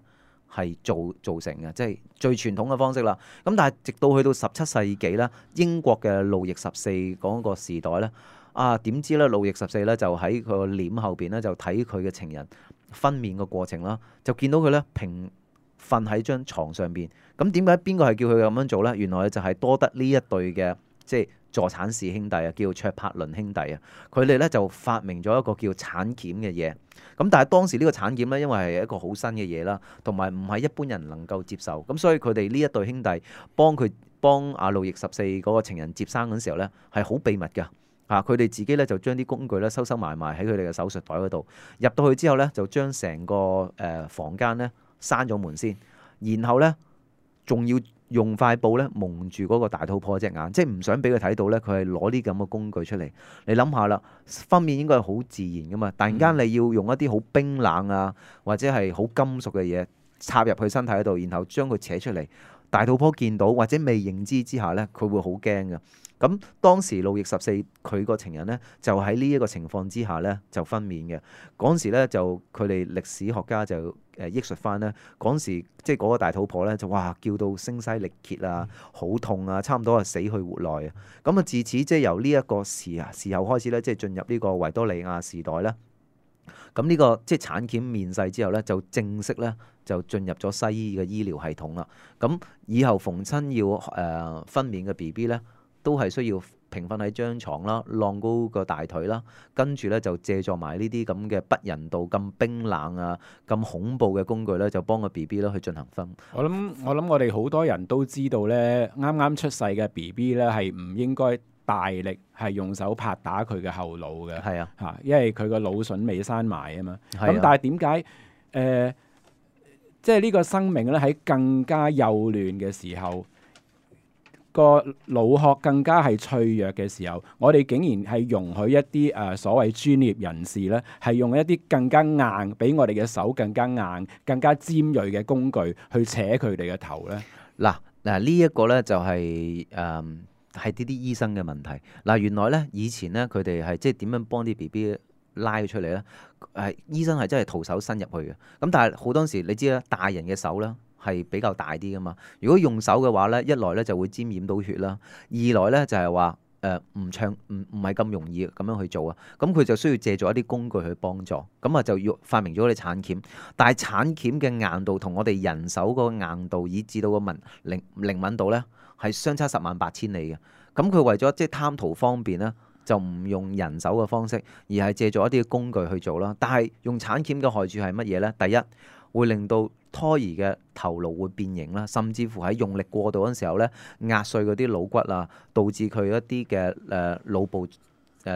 C: 係做造成嘅，即係最傳統嘅方式啦。咁但係直到去到十七世紀咧，英國嘅路易十四嗰個時代咧，啊點知咧路易十四咧就喺佢個簾後邊咧就睇佢嘅情人分娩嘅過程啦，就見到佢咧平瞓喺張床上邊。咁點解邊個係叫佢咁樣做呢？原來就係多得呢一對嘅即係助產士兄弟啊，叫卓柏倫兄弟啊。佢哋咧就發明咗一個叫產鉗嘅嘢。咁但係當時呢個產鉗咧，因為係一個好新嘅嘢啦，同埋唔係一般人能夠接受。咁所以佢哋呢一對兄弟幫佢幫阿路易十四嗰個情人接生嗰陣時候咧，係好秘密㗎。嚇！佢哋自己咧就將啲工具咧收收埋埋喺佢哋嘅手術袋嗰度。入到去之後咧，就將成個誒房間咧閂咗門先，然後咧仲要用塊布咧蒙住嗰個大肚婆隻眼，即係唔想俾佢睇到咧，佢係攞啲咁嘅工具出嚟。你諗下啦，分娩應該係好自然噶嘛，突然間你要用一啲好冰冷啊，或者係好金屬嘅嘢插入佢身體嗰度，然後將佢扯出嚟。大肚婆見到或者未認知之下咧，佢會好驚嘅。咁當時路易十四佢個情人咧，就喺呢一個情況之下咧就分娩嘅。嗰陣時咧就佢哋歷史學家就誒憶述翻咧，嗰陣時即係嗰個大肚婆咧就哇叫到聲嘶力竭啊，好痛啊，差唔多係死去活來啊。咁啊自此即係由呢一個時啊時候開始咧，即係進入呢個維多利亞時代咧。咁呢個即係產鉗面世之後咧，就正式咧就進入咗西醫嘅醫療系統啦。咁以後逢親要誒、呃、分娩嘅 B B 咧，都係需要平瞓喺張床啦，晾高個大腿啦，跟住咧就借助埋呢啲咁嘅不人道、咁冰冷啊、咁恐怖嘅工具咧，就幫個 B B 咧去進行分。
D: 我諗我諗我哋好多人都知道咧，啱啱出世嘅 B B 咧係唔應該大力係用手拍打佢嘅後腦嘅。係啊，嚇，因為佢個腦筍未生埋啊嘛。咁、啊、但係點解誒，即係呢個生命咧喺更加幼嫩嘅時候，個腦殼更加係脆弱嘅時候，我哋竟然係容許一啲誒、呃、所謂專業人士咧，係用一啲更加硬，比我哋嘅手更加硬、更加尖鋭嘅工具去扯佢哋嘅頭咧。
C: 嗱嗱，呢一個咧就係誒係呢啲醫生嘅問題。嗱，原來咧以前咧佢哋係即係點樣幫啲 B B 拉出嚟咧？係醫生係真係徒手伸入去嘅。咁但係好多時你知啦，大人嘅手啦係比較大啲噶嘛。如果用手嘅話咧，一來咧就會沾染到血啦，二來咧就係話誒唔暢唔唔係咁容易咁樣去做啊。咁佢就需要借助一啲工具去幫助。咁啊就要發明咗啲產鉗。但係產鉗嘅硬度同我哋人手個硬度以至到個敏靈靈敏度咧係相差十萬八千里嘅。咁佢為咗即係貪圖方便咧，就唔用人手嘅方式，而係借助一啲工具去做啦。但係用產鉗嘅害處係乜嘢咧？第一，會令到胎兒嘅頭顱會變形啦，甚至乎喺用力過度嗰陣時候咧，壓碎嗰啲腦骨啊，導致佢一啲嘅誒腦部誒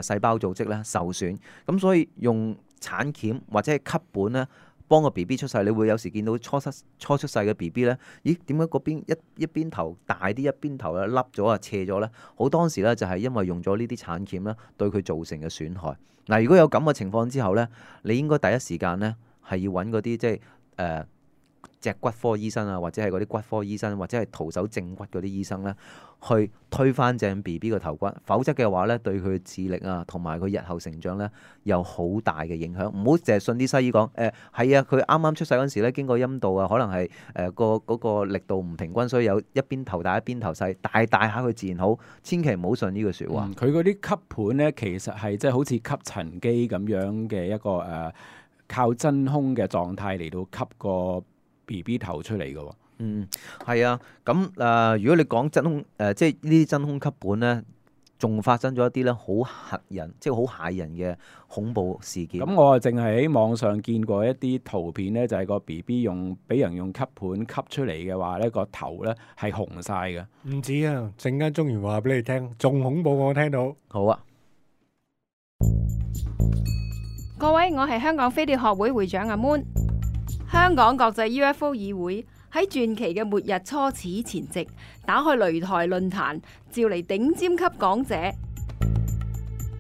C: 細胞組織咧受損。咁所以用產鉗或者係吸盤咧，幫個 B B 出世，你會有時見到初出初出世嘅 B B 咧，咦？點解嗰邊一一邊頭大啲，一邊頭咧凹咗啊，斜咗咧？好多時咧就係因為用咗呢啲產鉗咧，對佢造成嘅損害。嗱，如果有咁嘅情況之後咧，你應該第一時間咧係要揾嗰啲即係誒。呃脊骨科醫生啊，或者係嗰啲骨科醫生，或者係徒手正骨嗰啲醫生咧，去推翻正 B B 個頭骨，否則嘅話咧，對佢嘅智力啊，同埋佢日後成長咧，有好大嘅影響。唔好淨係信啲西醫講，誒係啊，佢啱啱出世嗰陣時咧，經過陰道啊，可能係誒個嗰個力度唔平均，所以有一邊頭大一邊頭細，大大下佢自然好。千祈唔好信呢句説話。
D: 佢嗰啲吸盤咧，其實係即係好似吸塵機咁樣嘅一個誒、呃，靠真空嘅狀態嚟到吸個 B B 頭出嚟嘅喎。
C: 嗯，係啊，咁誒、呃，如果你講真空誒、呃，即係呢啲真空吸盤咧，仲發生咗一啲咧好嚇人，即係好嚇人嘅恐怖事件。
D: 咁我啊，淨係喺網上見過一啲圖片咧，就係、是、個 B B 用俾人用吸盤吸出嚟嘅話咧，個頭咧係紅晒嘅。
B: 唔止啊，陣間中原話俾你聽，仲恐怖我聽到。
C: 好啊，
E: 各位，我係香港飛碟學會會長阿 Moon。香港國際 U F O 議會喺傳奇嘅末日初始前夕，打開擂台論壇，召嚟頂尖級講者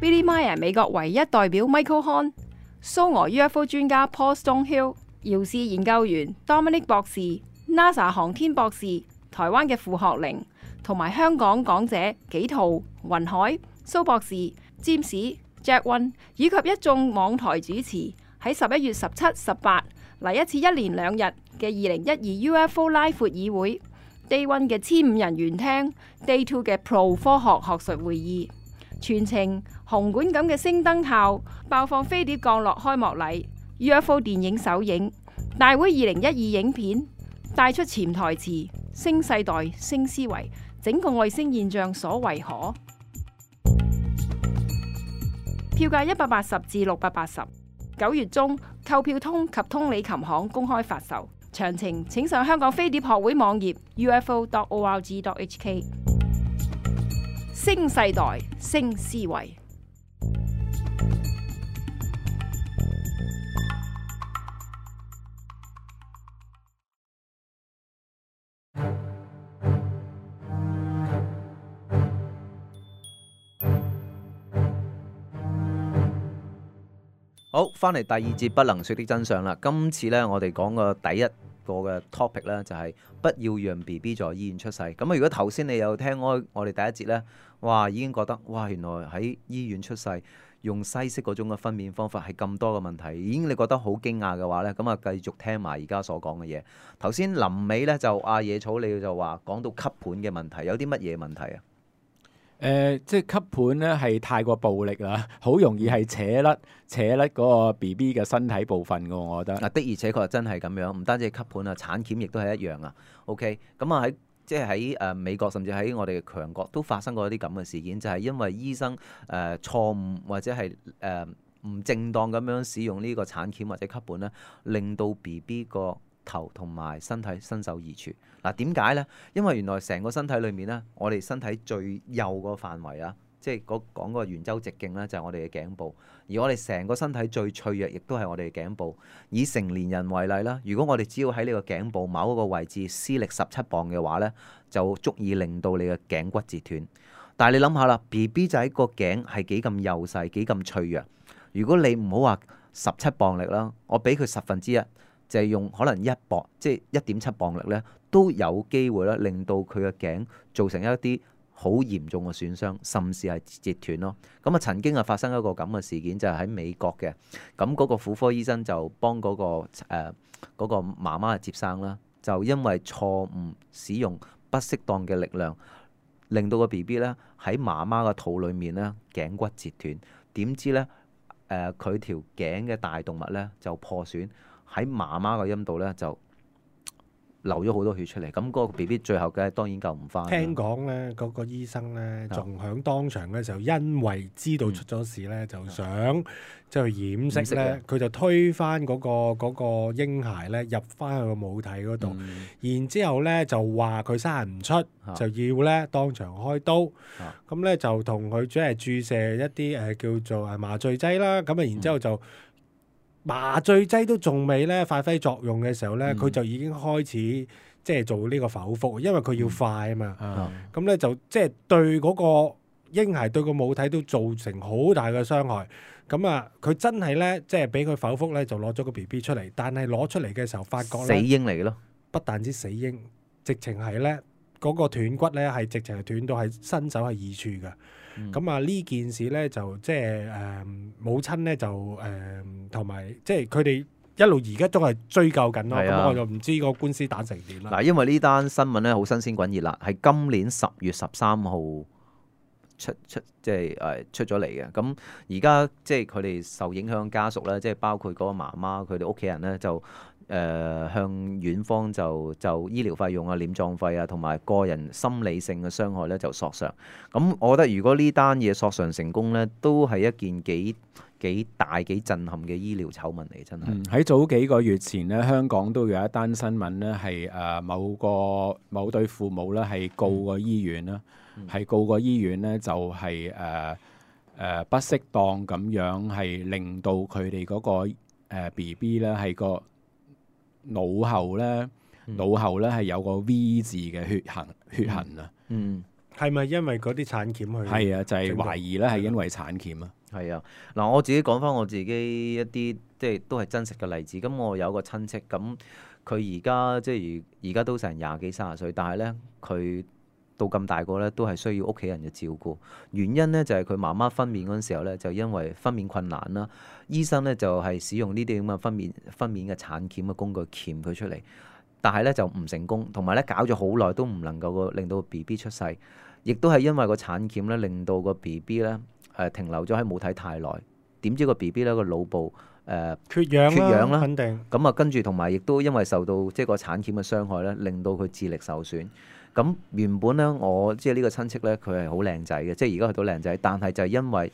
E: Billy Meier 美國唯一代表 Michael Hahn、蘇俄 U F O 專家 Paul Stonehill、遙視研究員 Dominic 博士、NASA 航天博士、台灣嘅傅學玲，同埋香港講者紀陶、雲海、蘇博士、詹士、Jack One 以及一眾網台主持，喺十一月十七、十八嚟一次一連兩日嘅二零一二 U F O 拉闊議會 Day One 嘅千五人圓廳 Day Two 嘅 Pro 科學學術會議，全程紅館咁嘅星燈效爆放飛碟降落開幕禮 U F O 電影首映大會二零一二影片帶出潛台詞、新世代、新思維，整個外星現象所為何？票價一百八十至六百八十，九月中購票通及通利琴行公開發售，詳情請上香港飛碟學會網頁 u f o dot org dot h k。新世代，新思維。
C: 好，翻嚟第二節不能說的真相啦。今次呢，我哋講個第一個嘅 topic 呢，就係不要讓 B B 在醫院出世。咁啊，如果頭先你有聽開我哋第一節呢，哇，已經覺得哇，原來喺醫院出世用西式嗰種嘅分娩方法係咁多嘅問題，已經你覺得好驚訝嘅話呢，咁啊繼續聽埋而家所講嘅嘢。頭先臨尾呢，就阿野草你就話講到吸盤嘅問題，有啲乜嘢問題啊？
D: 誒、呃，即係吸盤咧係太過暴力啦，好容易係扯甩扯甩嗰個 B B 嘅身體部分嘅，我覺得。
C: 嗱，的而且確真係咁樣，唔單止係吸盤啊，產鉗亦都係一樣啊。OK，咁啊喺即係喺誒美國，甚至喺我哋嘅強國都發生過一啲咁嘅事件，就係、是、因為醫生誒、呃、錯誤或者係誒唔正當咁樣使用呢個產鉗或者吸盤咧，令到 B B 個頭同埋身體身首異處。嗱，點解呢？因為原來成個身體裏面呢，我哋身體最幼個範圍啊，即係講講個圓周直徑呢，就係我哋嘅頸部。而我哋成個身體最脆弱，亦都係我哋嘅頸部。以成年人為例啦，如果我哋只要喺呢個頸部某一個位置施力十七磅嘅話呢，就足以令到你嘅頸骨折斷。但係你諗下啦 ，B B 仔個頸係幾咁幼細，幾咁脆弱。如果你唔好話十七磅力啦，我俾佢十分之一。就係用可能一磅，即係一點七磅力咧，都有機會咧，令到佢嘅頸造成一啲好嚴重嘅損傷，甚至係截斷咯。咁啊，曾經啊發生一個咁嘅事件，就係、是、喺美國嘅。咁嗰個婦科醫生就幫嗰、那個誒嗰、呃那個媽媽接生啦，就因為錯誤使用不適當嘅力量，令到個 B B 咧喺媽媽嘅肚裡面咧頸骨折斷。點知咧誒佢條頸嘅大動脈咧就破損。喺媽媽個陰道咧就流咗好多血出嚟，咁、那、嗰個 B B 最後嘅當然救唔翻。
B: 聽講咧，嗰、那個醫生咧仲響當場嘅時候，因為知道出咗事咧，嗯、就想即係去掩飾咧，佢就推翻嗰、那個嗰、那個嬰孩咧入翻去個母體嗰度，嗯、然之後咧就話佢生唔出，啊、就要咧當場開刀，咁咧、啊、就同佢即係注射一啲誒、呃、叫做誒麻醉劑啦，咁啊然之後就。嗯麻醉劑都仲未咧發揮作用嘅時候咧，佢、嗯、就已經開始即係做呢個剖腹，因為佢要快啊嘛。咁咧、嗯、就即係對嗰個嬰孩對個母體都造成好大嘅傷害。咁啊，佢真係咧即係俾佢剖腹咧，就攞咗個 B B 出嚟。但係攞出嚟嘅時候，發覺咧
C: 死嬰嚟嘅咯，
B: 不但止死嬰，直情係咧嗰個斷骨咧係直情係斷到係身首係異處嘅。咁啊呢件事咧就即係誒母親咧就誒同埋即係佢哋一路而家都係追究緊咯。咁、啊、我就唔知個官司打成點啦。嗱，
C: 因為呢單新聞咧好新鮮滾熱辣，係今年十月十三號出出即係誒出咗嚟嘅。咁而家即係佢哋受影響家屬咧，即係包括嗰個媽媽佢哋屋企人咧就。誒、呃、向院方就就醫療費用啊、殮葬費啊，同埋個人心理性嘅傷害咧就索償。咁我覺得如果呢單嘢索償成功咧，都係一件幾幾大幾震撼嘅醫療醜聞嚟，真係。喺、
D: 嗯、早幾個月前咧，香港都有一單新聞咧，係誒某個某對父母咧係告個醫院啦，係、嗯、告個醫院咧就係誒誒不適當咁樣係令到佢哋嗰個、呃、B B 咧係個。腦後咧，腦後咧係有個 V 字嘅血痕，血痕啊。
B: 嗯，係咪因為嗰啲產鉗去？
D: 係啊，就係、是、懷疑咧係因為產鉗啊。
C: 係啊，嗱，我自己講翻我自己一啲即係都係真實嘅例子。咁我有個親戚，咁佢而家即係而而家都成廿幾三十歲，但係咧佢到咁大個咧都係需要屋企人嘅照顧。原因咧就係佢媽媽分娩嗰陣時候咧，就因為分娩困難啦。醫生咧就係使用呢啲咁嘅分娩分娩嘅產鉗嘅工具鉗佢出嚟，但係咧就唔成功，同埋咧搞咗好耐都唔能夠個令到個 B B 出世，亦都係因為個產鉗咧令到個 B B 咧誒停留咗喺母體太耐，點知個 B B 咧個腦部呃、
B: 缺氧
C: 缺氧啦，
B: 肯定。
C: 咁啊，跟住同埋亦都因為受到即係個產鉗嘅傷害咧，令到佢智力受損。咁原本咧，我即係呢個親戚咧，佢係好靚仔嘅，即係而家去到靚仔，但係就係因為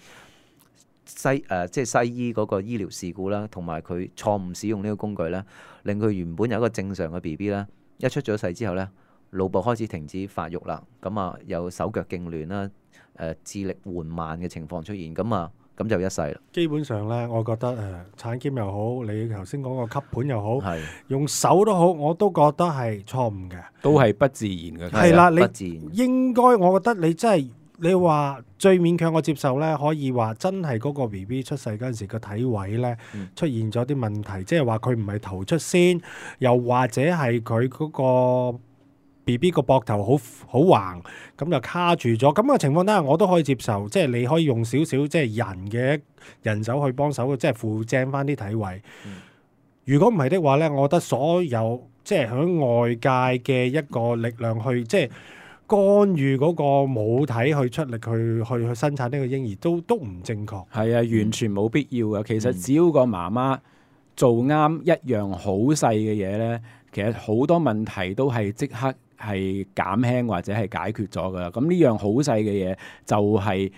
C: 西誒、呃、即係西醫嗰個醫療事故啦，同埋佢錯誤使用呢個工具咧，令佢原本有一個正常嘅 B B 咧，一出咗世之後咧，腦部開始停止發育啦，咁啊有手腳痙攣啦，誒、呃、智力緩慢嘅情況出現，咁啊咁就一世啦。
B: 基本上咧，我覺得誒、呃、產鉗又好，你頭先講個吸盤又好，
C: 係
B: 用手都好，我都覺得係錯誤嘅，
D: 都係不自然嘅。
B: 係啦，
C: 不自然
B: 你應該，我覺得你真係你話最勉強我接受咧，可以話真係嗰個 B B 出世嗰陣時個體位咧、嗯、出現咗啲問題，即係話佢唔係頭出先，又或者係佢嗰個 B B 個膊頭好好橫，咁就卡住咗。咁嘅情況底下，我都可以接受，即係你可以用少少即係人嘅人手去幫手，即係扶正翻啲體位。嗯、如果唔係的話咧，我覺得所有即係喺外界嘅一個力量去即係干預嗰個母體去出力去去去生產呢個嬰兒，都都唔正確。
D: 係啊，完全冇必要嘅。其實只要個媽媽做啱一樣好細嘅嘢咧，其實好多問題都係即刻係減輕或者係解決咗噶啦。咁呢樣好細嘅嘢就係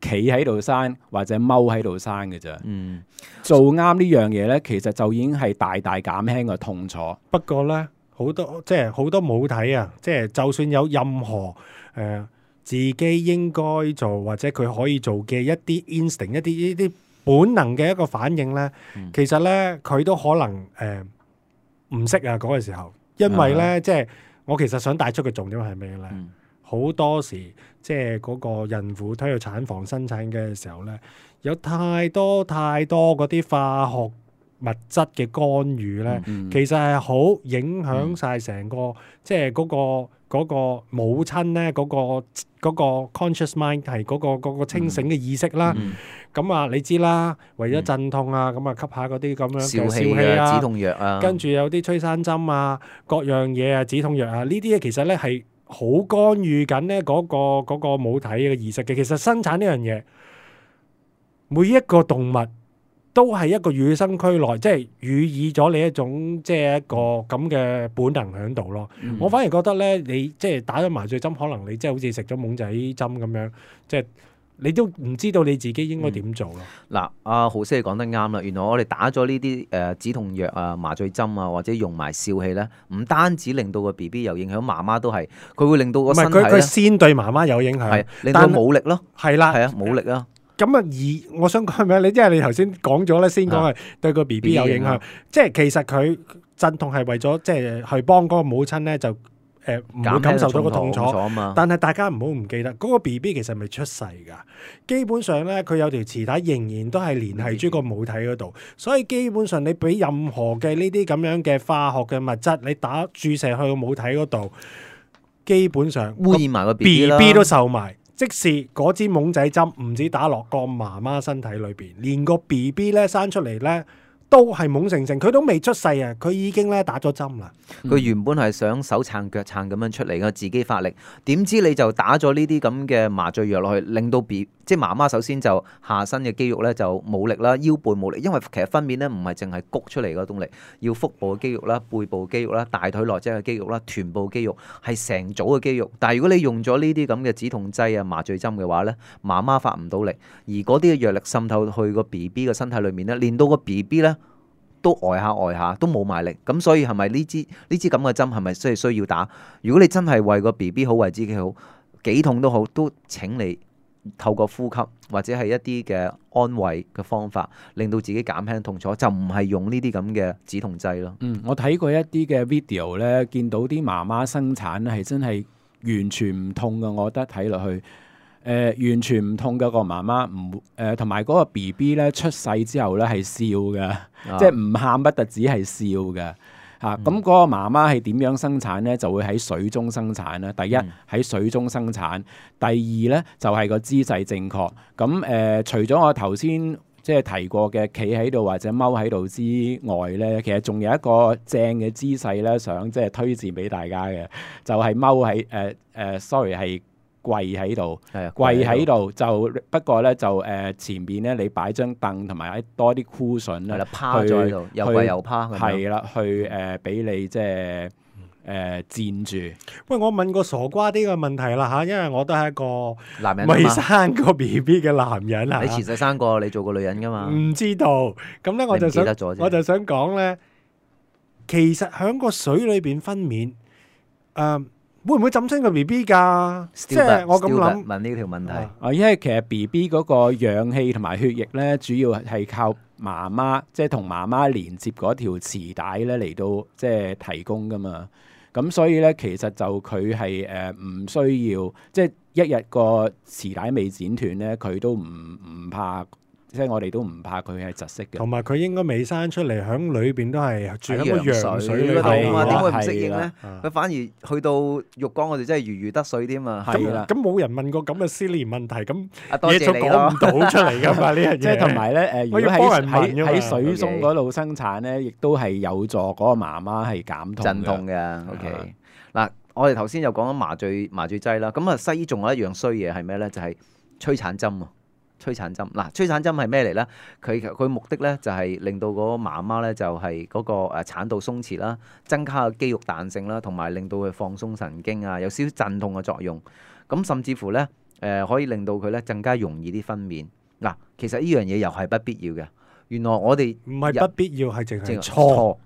D: 企喺度生或者踎喺度生嘅咋。嗯，做啱呢樣嘢咧，其實就已經係大大減輕個痛楚。
B: 不過咧，好多即係好多母體啊，即係就算有任何誒、呃、自己應該做或者佢可以做嘅一啲 instinct 一啲呢啲本能嘅一個反應咧，嗯、其實咧佢都可能誒唔識啊嗰個時候，因為咧、嗯、即係。我其實想帶出嘅重點係咩咧？好、嗯、多時即係嗰個孕婦推去產房生產嘅時候咧，有太多太多嗰啲化學物質嘅干預咧，嗯嗯、其實係好影響晒成個、嗯、即係嗰、嗰個嗰個母親咧嗰、嗰個嗰個 conscious mind 係嗰、嗰個嗰、嗰個清醒嘅意識啦。咁、嗯、啊，你知啦，為咗鎮痛啊，咁啊吸下嗰啲咁樣嘅笑氣啊、止痛藥啊，跟住有啲催生針啊，各樣嘢啊，止痛藥啊，呢啲嘢其實咧係好干預緊咧嗰個嗰、嗰個母體嘅意識嘅。其實生產呢樣嘢，每一個動物都係一個與生俱來，即係予以咗你一種即係一個咁嘅本能喺度咯。嗯、我反而覺得咧，你即係打咗麻醉針，可能你即係好似食咗懵仔針咁樣，即係你都唔知道你自己應該點做咯。嗱、
C: 嗯，阿豪師講得啱啦。原來我哋打咗呢啲誒止痛藥啊、麻醉針啊，或者用埋笑氣咧，唔單止令到個 B B 有影響，媽媽都係，佢會令到個身體咧，
B: 佢佢先對媽媽有影響，
C: 係令到冇力咯。係啦，係啊，冇力啊。
B: 咁啊，而我想講咩？你即係你頭先講咗咧，先講係對個 B B 有影響，啊、即係其實佢鎮痛係為咗即係去幫嗰個母親咧，就誒唔會感受到個痛楚。但係大家唔好唔記得，嗰、嗰個 B B 其實未出世㗎。基本上咧，佢有條臍帶仍然都係連繫住個母體嗰度，所以基本上你俾任何嘅呢啲咁樣嘅化學嘅物質，你打注射去個母體嗰度，基本上
C: 污染埋個 B B 啦
B: B B 都受埋。即使嗰支懵仔針唔止打落個媽媽身體裏邊，連個 B B 咧生出嚟咧都係懵成成，佢都未出世啊，佢已經咧打咗針啦。
C: 佢原本係想手撐腳撐咁樣出嚟嘅，自己發力，點知你就打咗呢啲咁嘅麻醉藥落去，令到 B 即係媽媽首先就下身嘅肌肉咧就冇力啦，腰背冇力，因為其實分娩咧唔係淨係谷出嚟嗰種力，要腹部嘅肌肉啦、背部肌肉啦、大腿內側嘅肌肉啦、臀部肌肉係成組嘅肌肉。但係如果你用咗呢啲咁嘅止痛劑啊、麻醉針嘅話咧，媽媽發唔到力，而嗰啲嘅藥力滲透去個 B B 嘅身體裏面咧，連到個 B B 咧都呆下呆下，都冇埋力。咁所以係咪呢支呢支咁嘅針係咪需需要打？如果你真係為個 B B 好，為自己好，幾痛都好，都請你透過呼吸或者係一啲嘅安慰嘅方法，令到自己減輕痛楚，就唔係用呢啲咁嘅止痛劑咯。
D: 嗯，我睇過一啲嘅 video 咧，見到啲媽媽生產咧係真係完全唔痛㗎，我覺得睇落去誒、呃、完全唔痛嘅個媽媽唔誒，同埋嗰個 B B 咧出世之後咧係笑嘅，啊、即係唔喊不特止係笑嘅。嚇，咁嗰個媽媽係點樣生產咧？就會喺水中生產啦。第一喺、嗯、水中生產，第二咧就係、是、個姿勢正確。咁誒、呃，除咗我頭先即係提過嘅企喺度或者踎喺度之外咧，其實仲有一個正嘅姿勢咧，想即係推薦俾大家嘅，就係踎喺誒誒，sorry 係跪喺度，
C: 係啊，
D: 跪喺度就不過咧就誒、呃、前邊咧你擺張凳同埋多啲 cushion 咧，
C: 係啦，趴咗喺度，又跪又趴咁樣。
D: 係啦，去誒俾、呃、你即係誒墊住。
B: 喂，我問個傻瓜啲嘅問題啦嚇，因為我都係一個
C: 男人
B: 未生過 B B 嘅男人啊，
C: 你前世生過，你做過女人噶嘛？
B: 唔知道。咁咧我就想，我就想講咧，其實喺個水裏邊分娩，誒、呃。會唔會浸親個 B B 㗎？即係我咁諗
C: 問呢條問題。
D: 啊，因為其實 B B 嗰個氧氣同埋血液咧，主要係靠媽媽，即係同媽媽連接嗰條臍帶咧嚟到即係提供㗎嘛。咁所以咧，其實就佢係誒唔需要，即係一日個臍帶未剪斷咧，佢都唔唔怕。即係我哋都唔怕佢係窒息嘅，
B: 同埋佢應該未生出嚟，響裏邊都係住喺個羊水
C: 嗰度啊嘛，點會唔
D: 係
C: 適應咧？佢反而去到浴缸，我哋真係如魚得水添啊！
B: 係啦，咁冇人問過咁嘅思念問題，咁
C: 嘢
B: 就講唔到出嚟噶嘛呢樣嘢。
D: 即係同埋咧，誒，如果喺喺喺水中嗰度生產咧，亦都係有助嗰個媽媽係減痛
C: 鎮痛嘅。OK，嗱，我哋頭先又講緊麻醉麻醉劑啦，咁啊西醫仲有一樣衰嘢係咩咧？就係催產針啊！催產針嗱，催產針係咩嚟咧？佢佢目的咧就係令到嗰個媽媽咧就係嗰個誒產道鬆弛啦，增加個肌肉彈性啦，同埋令到佢放鬆神經啊，有少少鎮痛嘅作用。咁甚至乎咧誒可以令到佢咧更加容易啲分娩。嗱，其實呢樣嘢又係不必要嘅。原來我哋
B: 唔係不必要，係淨係錯。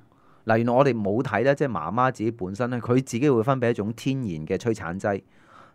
C: 嗱，原來我哋冇睇咧，即係媽媽自己本身咧，佢自己會分泌一種天然嘅催產劑。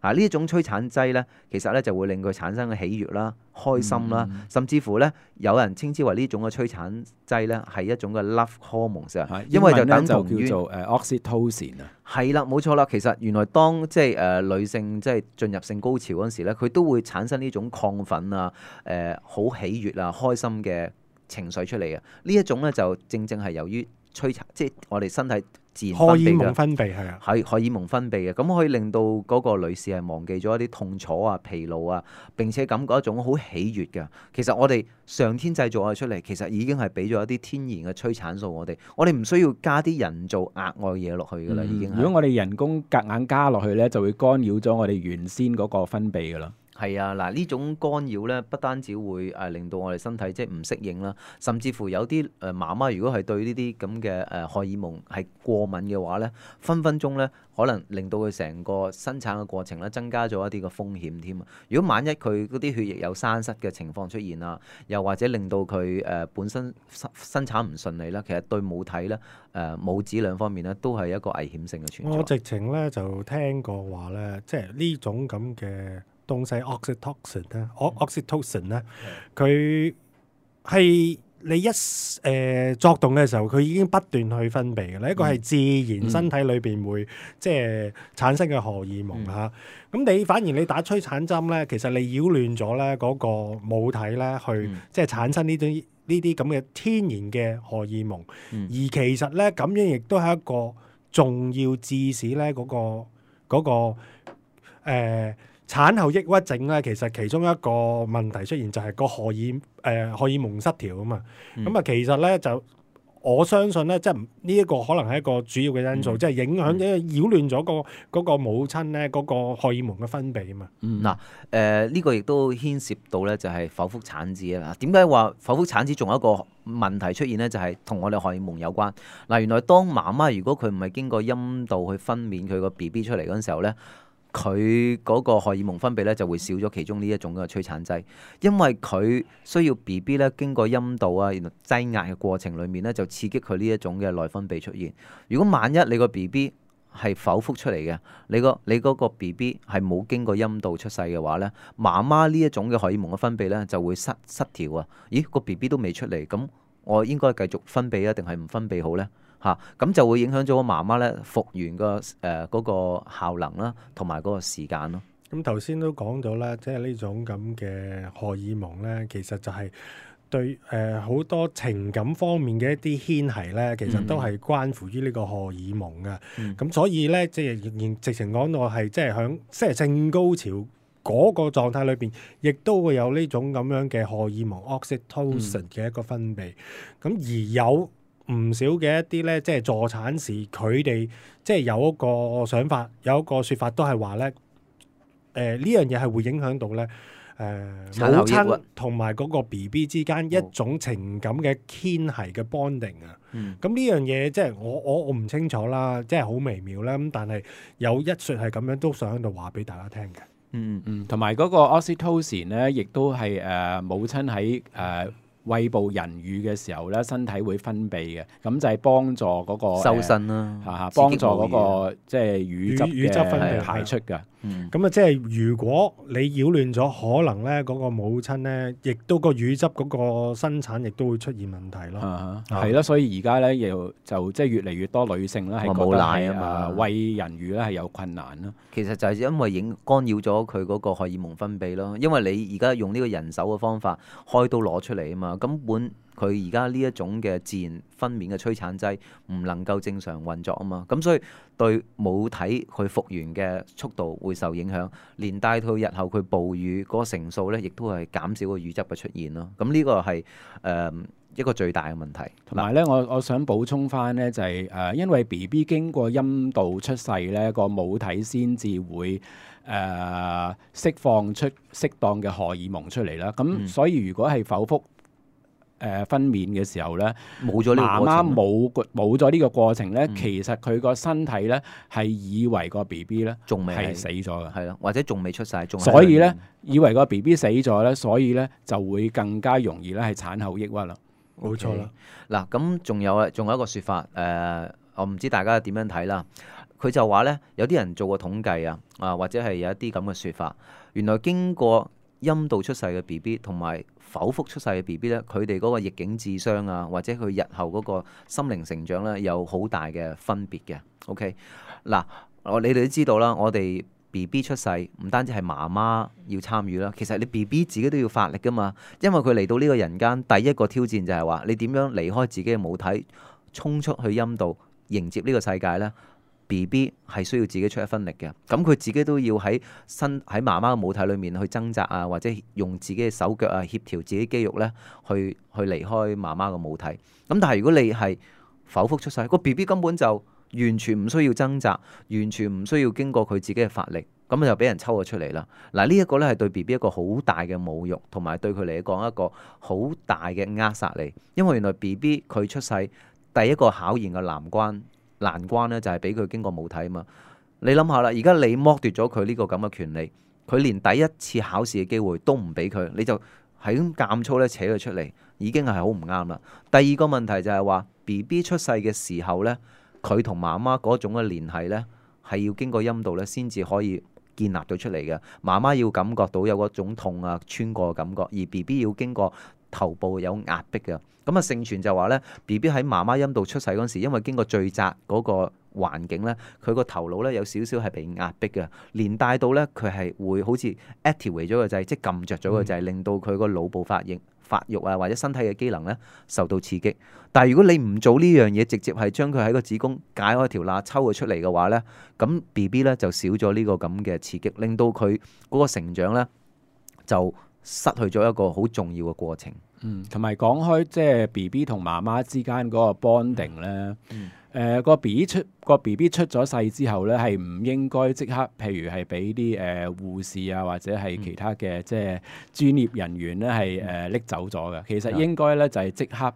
C: 啊！呢一種催產劑咧，其實咧就會令佢產生嘅喜悅啦、開心啦，嗯、甚至乎咧有人稱之為呢種嘅催產劑咧係一種嘅 love hormones 啊，因為就等同於
D: 叫做誒 oxytocin 啊。
C: 係啦，冇錯啦。其實原來當即係誒女性即係進入性高潮嗰陣時咧，佢都會產生呢種亢奮啊、誒、呃、好喜悅啊、開心嘅情緒出嚟嘅。呢一種咧就正正係由於催產，即係我哋身體自然分泌嘅荷爾蒙
B: 分泌係啊，
C: 係荷爾蒙分泌嘅，咁可以令到嗰個女士係忘記咗一啲痛楚啊、疲勞啊，並且感覺一種好喜悅嘅。其實我哋上天製造我哋出嚟，其實已經係俾咗一啲天然嘅催產素我哋，我哋唔需要加啲人造額外嘢落去㗎啦，嗯、已經。
D: 如果我哋人工夾硬加落去咧，就會干擾咗我哋原先嗰個分泌㗎啦。
C: 係啊，嗱呢種干擾咧，不單止會誒令到我哋身體即係唔適應啦，甚至乎有啲誒媽媽如果係對呢啲咁嘅誒荷爾蒙係過敏嘅話咧，分分鐘咧可能令到佢成個生產嘅過程咧增加咗一啲嘅風險添啊！如果萬一佢嗰啲血液有栓塞嘅情況出現啊，又或者令到佢誒本身生生產唔順利啦，其實對母體咧誒母子兩方面咧都係一個危險性嘅存在。
B: 我直情咧就聽過話咧，即係呢種咁嘅東西 oxytocin 咧，oxytocin 咧，佢係你一誒、呃、作動嘅時候，佢已經不斷去分泌嘅。呢一個係自然身體裏邊會、嗯、即係產生嘅荷爾蒙嚇。咁、嗯啊、你反而你打催產針咧，其實你擾亂咗咧嗰個母體咧，去、嗯、即係產生呢啲呢啲咁嘅天然嘅荷爾蒙。嗯、而其實咧咁樣亦都係一個重要致使咧嗰個嗰、嗰個、呃產後抑鬱症咧，其實其中一個問題出現就係個荷爾誒、呃、荷爾蒙失調啊嘛。咁啊、嗯，其實咧就我相信咧，即係呢一個可能係一個主要嘅因素，即係、嗯、影響即係擾亂咗個嗰個母親咧嗰個荷爾蒙嘅分泌啊嘛。
C: 嗱誒呢個亦都牽涉到咧，就係剖腹產子啊。點解話剖腹產子仲有一個問題出現咧？就係、是、同我哋荷爾蒙有關。嗱，原來當媽媽如果佢唔係經過陰道去分娩佢個 B B 出嚟嗰陣時候咧，佢嗰個荷爾蒙分泌咧就會少咗其中呢一種嘅催產劑，因為佢需要 B B 咧經過陰道啊，然後擠壓嘅過程裡面咧就刺激佢呢一種嘅內分泌出現。如果萬一你個 B B 係剖腹出嚟嘅，你個你嗰個 B B 係冇經過陰道出世嘅話咧，媽媽呢一種嘅荷爾蒙嘅分泌咧就會失失調啊！咦，個 B B 都未出嚟，咁我應該繼續分泌啊，定係唔分泌好咧？嚇，咁、啊、就會影響咗個媽媽咧復原個誒嗰個效能啦，同埋嗰個時間咯。
B: 咁頭先都講咗啦，即係呢種咁嘅荷爾蒙咧，其實就係對誒好、呃、多情感方面嘅一啲牽繫咧，其實都係關乎於呢個荷爾蒙嘅。咁、嗯、所以咧，即係仍然直情講到係即係響即係性高潮嗰個狀態裏邊，亦都會有呢種咁樣嘅荷爾蒙 oxytocin 嘅一個分泌。咁、嗯、而有唔少嘅一啲咧，即係助產士佢哋即係有一個想法，有一個説法都係話咧，誒、誒呢樣嘢係會影響到咧。誒、呃、
C: 產後抑鬱
B: 母親同埋嗰個 B B 之間一種情感嘅牽係嘅 bonding 啊，咁呢、
C: 嗯、
B: 樣嘢即係我我我唔清楚啦，即係好微妙啦。咁但係有一説係咁樣，都想喺度話俾大家聽嘅。
C: 嗯
D: 嗯，同埋嗰個 oxytocin 咧，亦都係誒、呃、母親喺誒。呃餵哺人乳嘅時候咧，身體會分泌嘅，咁就係幫助嗰、那個
C: 收身啦，
D: 嚇嚇幫助嗰、那個即係乳汁
B: 乳汁分泌
D: 排出嘅。
B: 咁啊、
C: 嗯，
B: 即係如果你擾亂咗，可能咧嗰個母親咧，亦都個乳汁嗰個生產亦都會出現問題咯。
D: 啊，係咯，所以而家咧又就即係越嚟越多女性咧係覺得係啊餵人乳咧係有困難咯。
C: 其實就係因為影干擾咗佢嗰個荷爾蒙分泌咯，因為你而家用呢個人手嘅方法開刀攞出嚟啊嘛，根本佢而家呢一種嘅自然分娩嘅催產劑唔能夠正常運作啊嘛，咁所以對母體佢復原嘅速度會受影響，連帶到日後佢哺乳嗰個成數咧，亦都係減少個乳汁嘅出現咯。咁呢個係誒、呃、一個最大嘅問題。
D: 同埋咧，我我想補充翻咧，就係、是、誒、呃，因為 B B 經過陰道出世咧，個母體先至會誒、呃、釋放出適當嘅荷爾蒙出嚟啦。咁、嗯、所以如果係剖腹誒、呃、分娩嘅時候咧，
C: 冇咗呢個過程，
D: 媽媽冇冇咗呢個過程咧，
C: 嗯、
D: 其實佢個身體咧係以為個 B B 咧
C: 仲未
D: 係死咗嘅，
C: 係咯，或者仲未出世，仲
D: 所以咧以為個 B B 死咗咧，所以咧就會更加容易咧係產後抑鬱啦。
B: 冇錯啦。
C: 嗱，咁仲有啊，仲有一個説法，誒、呃，我唔知大家點樣睇啦。佢就話咧，有啲人做過統計啊，啊或者係有一啲咁嘅説法，原來經過陰道出世嘅 B B 同埋剖腹出世嘅 B B 咧，佢哋嗰個逆境智商啊，或者佢日後嗰個心靈成長咧，有好大嘅分別嘅。OK，嗱，我你哋都知道啦，我哋 B B 出世唔單止係媽媽要參與啦，其實你 B B 自己都要發力噶嘛，因為佢嚟到呢個人間，第一個挑戰就係話你點樣離開自己嘅母體，衝出去陰道迎接呢個世界呢？B B 係需要自己出一分力嘅，咁佢自己都要喺身喺媽媽嘅母體裏面去掙扎啊，或者用自己嘅手腳啊協調自己肌肉咧，去去離開媽媽嘅母體。咁但係如果你係剖腹出世，個 B B 根本就完全唔需要掙扎，完全唔需要經過佢自己嘅發力，咁就俾人抽咗出嚟啦。嗱，呢一個咧係對 B B 一個好大嘅侮辱，同埋對佢嚟講一個好大嘅扼殺嚟。因為原來 B B 佢出世第一個考驗嘅難關。難關咧就係俾佢經過母體啊嘛，你諗下啦，而家你剝奪咗佢呢個咁嘅權利，佢連第一次考試嘅機會都唔俾佢，你就係咁監粗咧扯佢出嚟，已經係好唔啱啦。第二個問題就係話 B B 出世嘅時候咧，佢同媽媽嗰種嘅聯繫咧係要經過陰道咧先至可以建立到出嚟嘅，媽媽要感覺到有嗰種痛啊穿過嘅感覺，而 B B 要經過頭部有壓迫嘅。咁啊，盛傳就話咧 ，B B 喺媽媽陰道出世嗰時，因為經過最窄嗰個環境咧，佢個頭腦咧有少少係被壓迫嘅，連帶到咧佢係會好似 activate 咗個掣，即係撳着咗個掣，令到佢個腦部發應發育啊，或者身體嘅機能咧受到刺激。但係如果你唔做呢樣嘢，直接係將佢喺個子宮解開條罅抽佢出嚟嘅話咧，咁 B B 咧就少咗呢個咁嘅刺激，令到佢嗰個成長咧就失去咗一個好重要嘅過程。
D: 嗯，同埋講開即係 B B 同媽媽之間嗰個 bonding 咧，誒、
C: 嗯
D: 呃、個 B B 出個 B B 出咗世之後咧，係唔應該即刻，譬如係俾啲誒護士啊，或者係其他嘅、嗯、即係專業人員咧係誒拎走咗嘅。其實應該咧就係即刻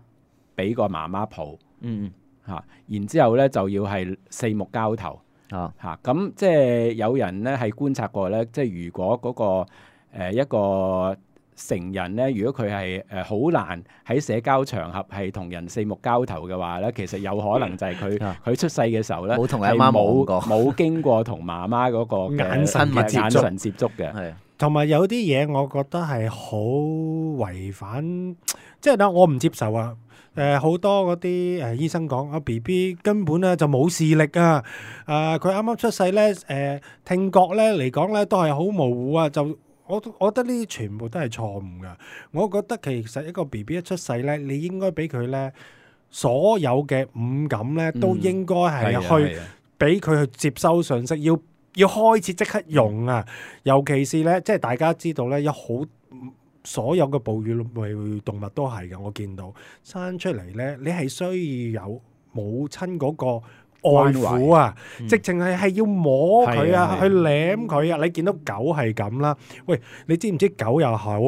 D: 俾個媽媽抱，
C: 嗯
D: 嚇、啊，然之後咧就要係四目交投
C: 啊
D: 嚇。咁、啊、即係有人咧係觀察過咧，即係如果嗰、嗰個、呃、一個成人咧，如果佢係誒好難喺社交場合係同人四目交投嘅話咧，其實有可能就係佢佢出世嘅時候咧，
C: 冇同阿媽望過，
D: 冇經過同媽媽嗰個
B: 眼神嘅
D: 眼神接觸嘅。
C: 係
B: 同埋有啲嘢，我覺得係好違反，即係咧我唔接受啊！誒、呃、好多嗰啲誒醫生講啊 B B 根本咧就冇視力啊！誒佢啱啱出世咧，誒、呃、聽覺咧嚟講咧都係好模糊啊！就我我覺得呢啲全部都係錯誤噶。我覺得其實一個 B B 一出世咧，你應該俾佢咧所有嘅五感咧都應該係去俾佢去接收信息，要要開始即刻用啊！尤其是咧，即係大家知道咧，有好所有嘅哺乳類動物都係嘅。我見到生出嚟咧，你係需要有母親嗰個愛撫啊，
C: 嗯
B: 直情係係要摸佢啊，
D: 係啊
B: 去舐佢啊。你見到狗係咁啦，喂，你知唔知狗又好？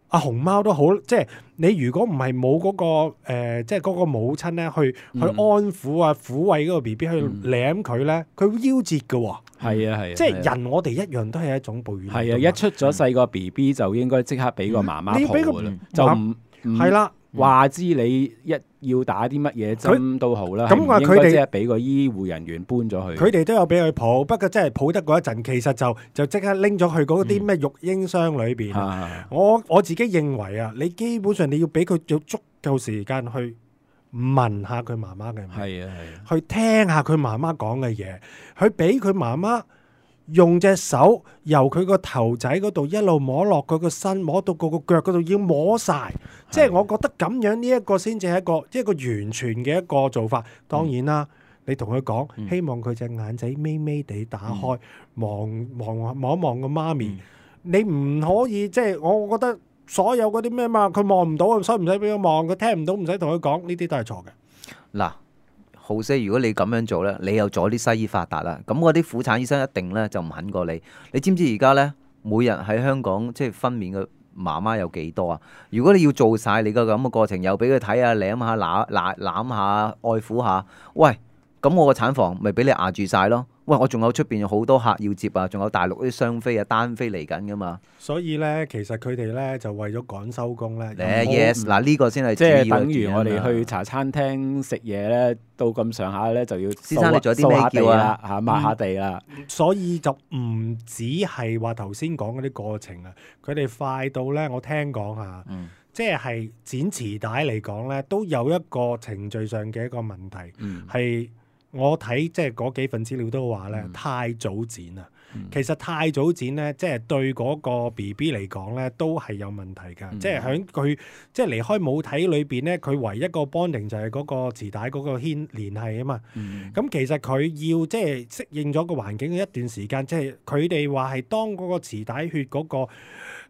B: 阿熊貓都好，即係你如果唔係冇嗰個誒、呃，即係嗰個母親咧，去去
D: 嗯
B: 安撫啊、撫慰嗰個 B B 去舐佢咧，佢會夭折嘅喎。
D: 係啊係啊，
B: 即係人，我哋一樣都係一種哺乳類動物。
D: 係啊，一出咗世個 B B 就應該即刻俾個媽媽
B: 你要俾個
D: 抱㗎啦，
C: 嗯
D: 就唔唔
B: 係啦。
D: 話知你一要打啲乜嘢針都好啦，
B: 咁話佢哋
D: 係唔應該即係俾個醫護人員搬咗去。
B: 佢哋都有俾佢抱，不過真係抱得嗰一陣，其實就就即刻拎咗去嗰啲咩育嬰箱裏邊。
D: 啊
B: 我我自己認為啊，你基本上你要俾佢有足夠時間去聞下佢媽媽嘅味，
D: 係啊係啊，
B: 去聽下佢媽媽講嘅嘢，去俾佢媽媽用隻手由佢個頭仔嗰度一路摸落佢個身，摸到個個腳嗰度，要摸晒。即係我覺得咁樣呢一個先至係一個一個完全嘅一個做法。當然啦，你同佢講，
C: 嗯
B: 希望佢隻眼仔眯眯地打開，望望望一望個媽咪。
C: 嗯
B: 你唔可以即係我覺得所有嗰啲咩嘛，佢望唔到，所以唔使俾佢望；佢聽唔到，唔使同佢講，呢啲都係錯嘅。
C: 嗱，好些，如果你咁樣做咧，你又阻啲西醫發達啦。咁嗰啲婦產醫生一定咧就唔肯過你。你知唔知而家咧每日喺香港即係分娩嘅媽媽有幾多啊？如果你要做晒你個咁嘅過程，又俾佢睇下、舐下、攬攬攬下、愛撫下，喂，咁我個產房咪俾你壓住晒咯？喂，我仲有出邊有好多客要接啊，仲有大陸啲雙飛啊、單飛嚟緊噶嘛？
B: 所以咧，其實佢哋咧就為咗趕收工咧。
C: 誒 yes，嗱呢個先係
D: 即係
C: 主要嘅
D: 等於我哋
C: 原因啦
D: 去茶餐廳食嘢咧，到咁上下咧就要
C: 先生你仲有啲咩
D: 掃下地
C: 叫啊
D: 啦，嚇抹下地啦。
B: 所以就唔止係話頭先講嗰啲過程啊，佢哋快到咧，我聽講啊，
C: 嗯
B: 即係剪臍帶嚟講咧，都有一個程序上嘅一個問題，
C: 嗯
B: 係、我睇即係嗰幾份資料都話咧，
C: 嗯
B: 太早剪啊。
C: 嗯
B: 其實太早剪咧，即係對嗰個 B B 嚟講咧，都係有問題㗎。
C: 嗯
B: 即係喺佢即係離開母體裏邊咧，佢唯一個 bonding 就係嗰個臍帶嗰個牽連係啊嘛。
C: 嗯
B: 咁其實佢要即係適應咗個環境嘅一段時間，即係佢哋話係當嗰個臍帶血嗰個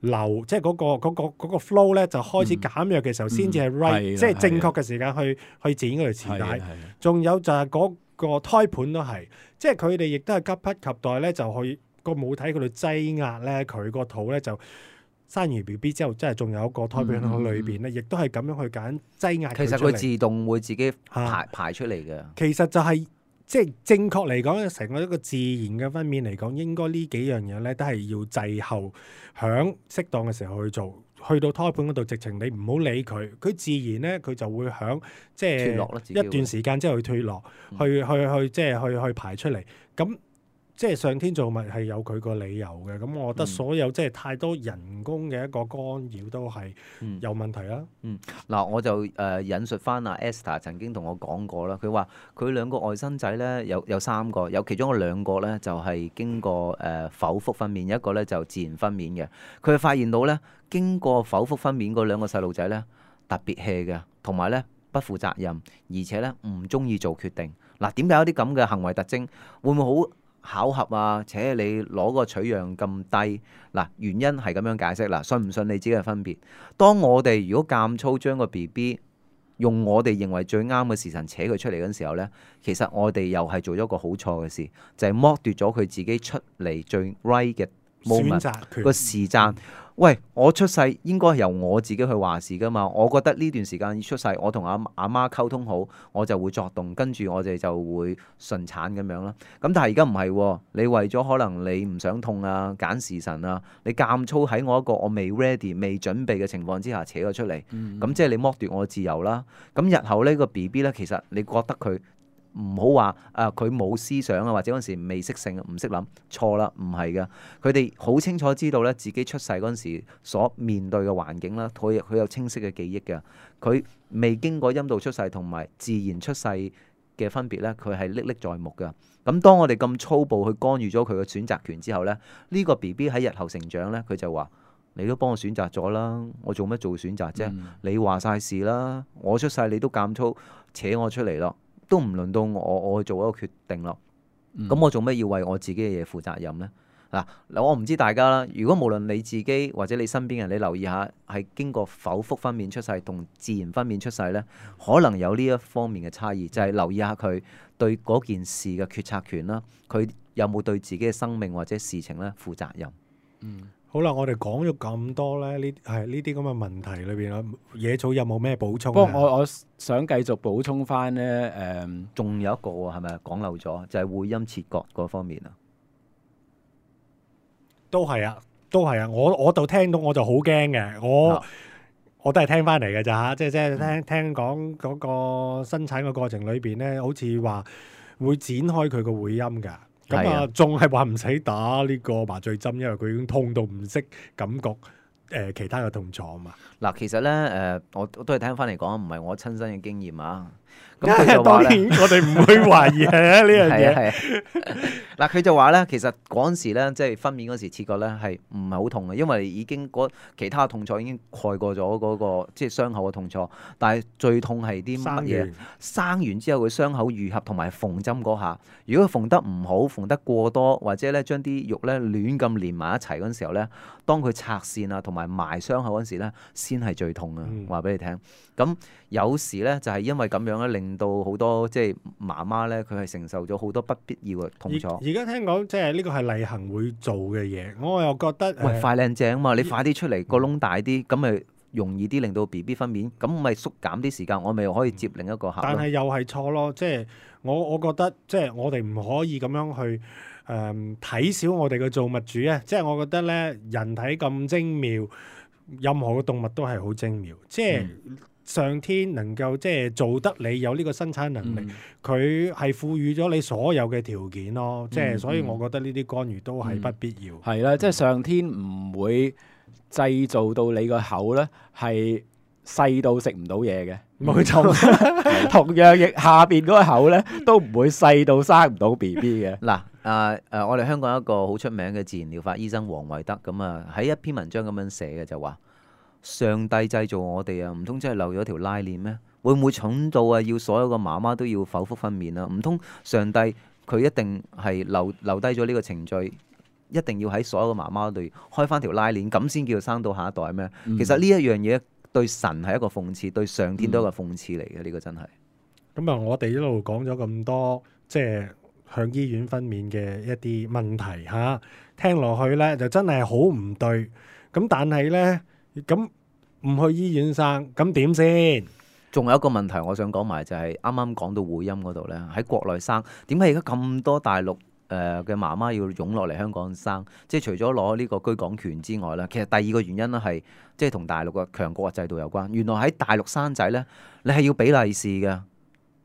B: 流，即係嗰個嗰個嗰個 flow 咧就開始減弱嘅時候，先至係 right，
D: 係啊
B: 即係正確嘅時間去去剪嗰條臍帶。
D: 係啊係啊
B: 仲有就係嗰個胎盤都係，即係佢哋亦都係急不及待咧，就去個母體嗰度擠壓咧，佢個肚咧就生完 B B 之後，即係仲有一個胎盤喺裏邊咧，亦都係咁樣去揀擠壓
C: 其實
B: 佢出嚟。
C: 佢自動會自己排
B: 啊
C: 排出嚟嘅。
B: 其實就係、即係正確嚟講，成個一個自然嘅分娩嚟講，應該呢幾樣嘢咧都係要滯後，響適當嘅時候去做。去到胎盤嗰度，直情你唔好理佢，佢自然咧佢就會響即
C: 脫落啦自己會
B: 係一段時間之後去脫落，
C: 嗯
B: 去去去即係去去排出嚟。咁即係上天造物係有佢個理由嘅。咁我覺得
C: 嗯
B: 所有即係太多人工嘅一個干擾都係
C: 嗯
B: 有問題啦。
C: 嗱，我就誒、呃引述翻阿 Esther 曾經同我講過啦，佢話佢兩個外甥仔咧有有三個，有其中嗰兩個咧就係、是、經過誒、呃剖腹分娩，一個咧就自然分娩嘅。佢發現到咧，經過剖腹分娩嗰兩個細路仔咧特別 hea 嘅，同埋咧不負責任，而且咧唔中意做決定。嗱，點解有啲咁嘅行為特徵？會唔會好巧合啊？且你攞個取樣咁低，嗱，原因係咁樣解釋啦，信唔信你自己嘅分別。當我哋如果監粗將個 B B 用我哋認為最啱嘅時辰扯佢出嚟嗰陣時候呢，其實我哋又係做咗個好錯嘅事，就係、剝奪咗佢自己出嚟最 right 嘅
B: 選
C: moment
B: 擇權
C: 個時間。喂，我出世應該係由我自己去話事噶嘛？我覺得呢段時間出世，我同阿阿媽溝通好，我就會作動，跟住我哋就會順產咁樣啦。咁但係而家唔係喎，你為咗可能你唔想痛啊、揀時辰啊，你監粗喺我一個我未 ready、未準備嘅情況之下扯咗出嚟，咁、
D: 嗯
C: 即係你剝奪我嘅自由啦。咁日後呢個 B B 咧，其實你覺得佢唔好話啊，佢冇思想啊，或者嗰陣時未識性，唔識諗，錯啦，唔係嘅。佢哋好清楚知道咧，自己出世嗰陣時所面對嘅環境啦，佢佢有清晰嘅記憶嘅。佢未經過陰道出世同埋自然出世嘅分別咧，佢係歷歷在目嘅。咁當我哋咁粗暴去干預咗佢嘅選擇權之後咧，呢個 B B 喺日後成長咧，佢就話：你都幫我選擇咗啦，我做乜做選擇啫？
D: 嗯
C: 你話晒事啦，我出世你都監粗扯我出嚟咯。都唔輪到我，我去做一個決定咯。咁、
D: 嗯
C: 我做咩要為我自己嘅嘢負責任呢？嗱，我唔知大家啦。如果無論你自己或者你身邊人，你留意下係經過剖腹分娩出世同自然分娩出世呢，可能有呢一方面嘅差異，就係、是、留意下佢對嗰件事嘅決策權啦，佢有冇對自己嘅生命或者事情咧負責任？
D: 嗯，
B: 好啦，我哋講咗咁多咧，呢係呢啲咁嘅問題裏邊啊，野草有冇咩補充？
D: 不過我我想繼續補充翻呢，誒、嗯，
C: 仲有一個喎，係咪講漏咗？就係、是、會陰切割嗰方面啊。
B: 都係啊，都係啊！我我就聽到我就好驚嘅，我、啊、我都係聽翻嚟嘅咋嚇，即係即係聽聽講嗰個生產嘅過程裏邊咧，好似話會展開佢個會陰㗎。咁啊，仲係話唔使打呢個麻醉針，因為佢已經痛到唔識感覺誒、呃、其他嘅痛楚啊嘛。
C: 嗱，其實咧誒、呃，我都係聽翻嚟講，唔係我親身嘅經驗啊。咁佢就話咧，
B: 我哋唔會懷疑係呢樣嘢。
C: 係啊，嗱，佢就話咧，其實嗰陣時咧，即係分娩嗰時切割咧，係唔係好痛嘅，因為已經其他痛楚已經蓋過咗嗰、嗰個即係傷口嘅痛楚。但係最痛係啲乜嘢？生完之後佢傷口愈合同埋縫針嗰下，如果佢縫得唔好，縫得過多，或者咧將啲肉咧亂咁連埋一齊嗰陣時候咧，當佢拆線啊同埋埋傷口嗰陣時咧，先係最痛啊！話俾你聽。咁有時咧就係因為咁樣咧，令到好多即係媽媽咧，佢係承受咗好多不必要嘅痛楚。
B: 而家聽講即係呢個係例行會做嘅嘢，我又覺得
C: 喂快靚正啊嘛！你快啲出嚟個窿大啲，咁咪容易啲令到 B B 分娩，咁咪縮減啲時間，我咪可以接另一個客。
B: 但係又係錯咯，即係我我覺得即係我哋唔可以咁樣去誒睇小我哋嘅造物主啊！即係我覺得咧，人體咁精妙，任何嘅動物都係好精妙，即係。嗯上天能夠即係做得你有呢個生產能力，佢係賦予咗你所有嘅條件咯。即係、嗯、所以，我覺得呢啲干預都係不必要。
D: 係啦、嗯，即係上天唔會製造到你個口咧係細到食唔到嘢嘅。冇錯，同樣亦下邊嗰個口咧都唔會細到生唔到 B B 嘅。
C: 嗱，誒誒，我哋香港一個好出名嘅自然療法醫生黃維德咁啊，喺一篇文章咁樣寫嘅就話。上帝製造我哋啊，唔通真係漏咗條拉鏈咩？會唔會蠢到啊？要所有嘅媽媽都要剖腹分娩啊？唔通上帝佢一定係留留低咗呢個程序，一定要喺所有嘅媽媽度開翻條拉鏈，咁先叫生到下一代咩？嗯、其實呢一樣嘢對神係一個諷刺，對上天都係一個諷刺嚟嘅。呢、嗯、個真係。咁啊，
B: 我哋一路講咗咁多，即係向醫院分娩嘅一啲問題嚇，聽落去咧就真係好唔對。咁但係咧。咁唔去醫院生，咁點先？
C: 仲有一個問題，我想講埋就係啱啱講到會陰嗰度咧，喺國內生，點解而家咁多大陸誒嘅媽媽要湧落嚟香港生？即係除咗攞呢個居港權之外咧，其實第二個原因咧係即係同大陸嘅強國制度有關。原來喺大陸生仔咧，你係要俾利是嘅，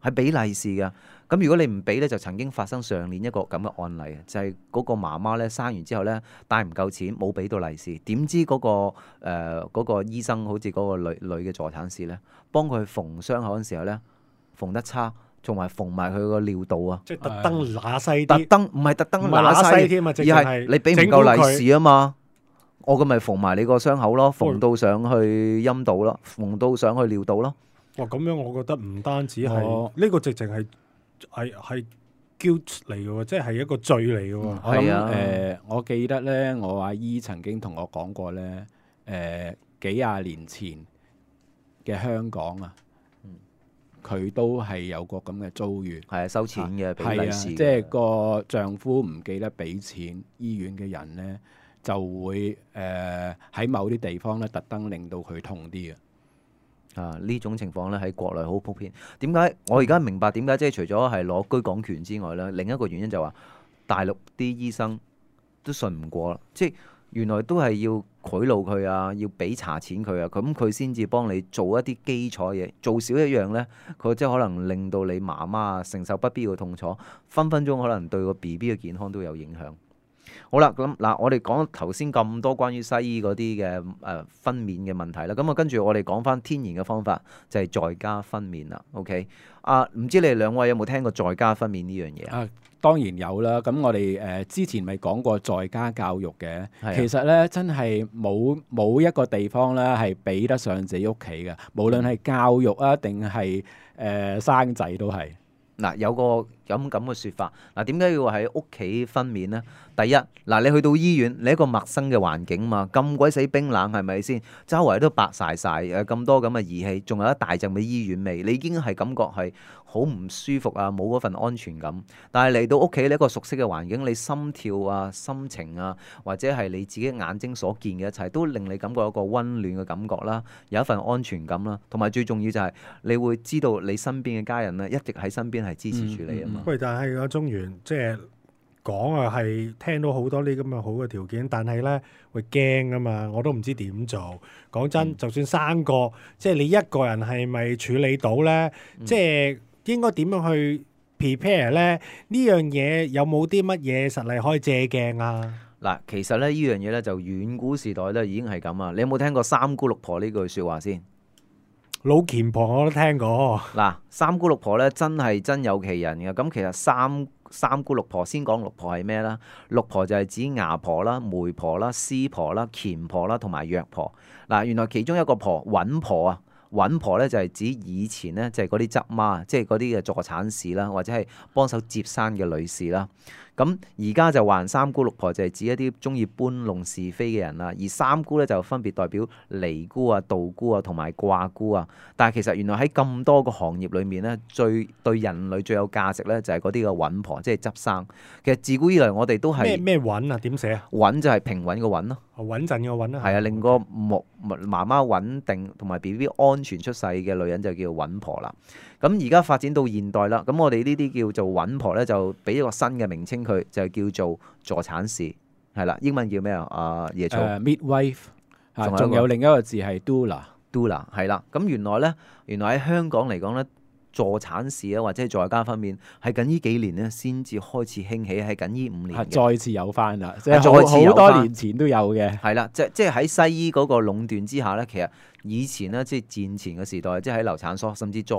C: 係俾利是嘅。咁如果你唔俾咧，就曾經發生上年一個咁嘅案例，就係、是、嗰個媽媽咧生完之後咧帶唔夠錢，冇俾到利是，點知嗰、那個誒嗰、呃那個醫生好似嗰個女女嘅助產士咧，幫佢縫傷口嗰陣時候咧縫得差，仲埋縫埋佢個尿道啊！
B: 即係特登揦西啲，
C: 特登唔係特登揦西添啊，而係你俾唔夠利是啊嘛，我咁咪縫埋你個傷口咯，縫到上去陰道咯，縫到上去尿道咯。
B: 哇！咁樣我覺得唔單止係呢、哦、個直情係。係係 guilt 嚟嘅喎，即係一個罪嚟嘅喎。
D: 我諗誒，我記得咧，我阿姨曾經同我講過咧，誒、呃、幾廿年前嘅香港啊，佢、嗯、都係有個咁嘅遭遇，係啊，收錢嘅，俾利是，即係個丈夫唔記得俾錢，醫院嘅人咧就會誒喺、呃、某啲地方咧特登令到佢痛啲嘅。
C: 啊！呢種情況咧喺國內好普遍。點解我而家明白點解即係除咗係攞居港權之外咧，另一個原因就話大陸啲醫生都信唔過啦。即係原來都係要賄賂佢啊，要俾茶錢佢啊，咁佢先至幫你做一啲基礎嘢。做少一樣咧，佢即係可能令到你媽媽承受不必要嘅痛楚，分分鐘可能對個 B B 嘅健康都有影響。好啦，咁嗱，我哋講頭先咁多關於西醫嗰啲嘅誒分娩嘅問題啦，咁啊跟住我哋講翻天然嘅方法，就係、是、在家分娩啦。OK，啊，唔知你哋兩位有冇聽過在家分娩呢樣嘢啊？
D: 當然有啦。咁我哋誒、呃、之前咪講過在家教育嘅，啊、其實咧真係冇冇一個地方咧係比得上自己屋企嘅，無論係教育啊定係誒生仔都係。
C: 嗱、呃，有個有咁嘅説法。嗱，點解要喺屋企分娩呢？第一，嗱，你去到醫院，你一個陌生嘅環境嘛，咁鬼死冰冷係咪先？周圍都白晒晒，誒咁多咁嘅儀器，仲有一大陣嘅醫院味，你已經係感覺係好唔舒服啊，冇嗰份安全感。但係嚟到屋企呢一個熟悉嘅環境，你心跳啊、心情啊，或者係你自己眼睛所見嘅一切，都令你感覺有一個溫暖嘅感覺啦，有一份安全感啦，同埋最重要就係你會知道你身邊嘅家人咧一直喺身邊係支持住你啊嘛。
B: 喂，但係阿中原即係講啊，係聽到好多呢咁嘅好嘅條件，但係咧會驚啊嘛，我都唔知點做。講真，
C: 嗯、
B: 就算生個，即係你一個人係咪處理到咧？
C: 嗯、
B: 即係應該點樣去 prepare 咧？呢樣嘢有冇啲乜嘢實例可以借鏡啊？
C: 嗱，其實咧呢樣嘢咧就遠古時代咧已經係咁啊！你有冇聽過三姑六婆呢句説話先？
B: 老虔婆我都聽過。
C: 嗱，三姑六婆咧真係真有其人嘅。咁其實三三姑六婆，先講六婆係咩啦？六婆就係指牙婆啦、媒婆啦、師婆啦、虔婆啦同埋藥婆。嗱，原來其中一個婆穩婆啊，穩婆咧就係指以前咧就係嗰啲執媽，即係嗰啲嘅助產士啦，或者係幫手接生嘅女士啦。咁而家就話三姑六婆就係指一啲中意搬弄是非嘅人啦，而三姑咧就分別代表尼姑啊、道姑啊同埋卦姑啊。但係其實原來喺咁多個行業裏面咧，最對人類最有價值咧就係嗰啲嘅穩婆，即係執生。其實自古以來我哋都係
B: 咩咩穩啊？點寫啊？
C: 穩就係平穩嘅穩咯，
B: 穩陣嘅穩啊。
C: 係啊，令個木媽媽穩定同埋 B B 安全出世嘅女人就叫穩婆啦。咁而家發展到現代啦，咁我哋呢啲叫做穩婆咧，就俾一個新嘅名稱佢，就叫做助產士，係啦，英文叫咩啊？啊，椰草。
D: Uh, midwife 啊，
C: 仲有一個
D: 仲有另一個字係 doula。doula
C: 係啦，咁原來咧，原來喺香港嚟講咧，助產士啊或者係在家分娩係近呢幾年咧先至開始興起，係近呢五年嘅。
D: 再次有翻啦，即係
C: 再次有
D: 好多年前都有嘅。
C: 係啦，即即係喺西醫嗰個壟斷之下咧，其實以前咧即係戰前嘅時代，即係喺流產所，甚至再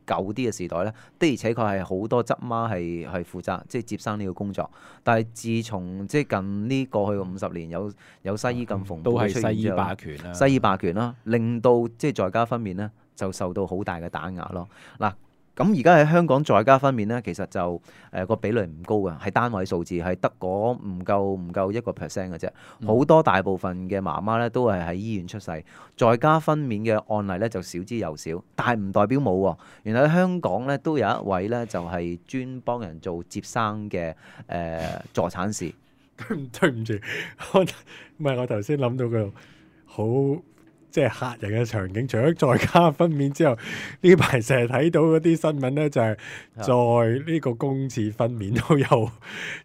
C: 舊啲嘅時代咧，的而且確係好多執媽係係負責即係接生呢個工作。但係自從即係近呢過去嘅五十年有有西醫咁蓬勃
D: 都係
C: 出現
D: 西醫
C: 之後
D: 霸權啦，
C: 西醫霸權啦，令到即係在家分娩咧就受到好大嘅打壓咯。嗱。咁而家喺香港在家分娩咧，其實就誒個、呃、比率唔高嘅，係單位數字，係得嗰唔夠唔夠一個 percent 嘅啫。好、嗯、多大部分嘅媽媽咧都係喺醫院出世，在家分娩嘅案例咧就少之又少，但係唔代表冇喎。原來喺香港咧都有一位咧就係、是、專幫人做接生嘅誒、呃、助產士。
B: 對唔對唔住，我唔係我頭先諗到佢好。即係嚇人嘅場景，除咗在家分娩之後，呢排成日睇到嗰啲新聞咧，就係、是、在呢個公廁分娩都有。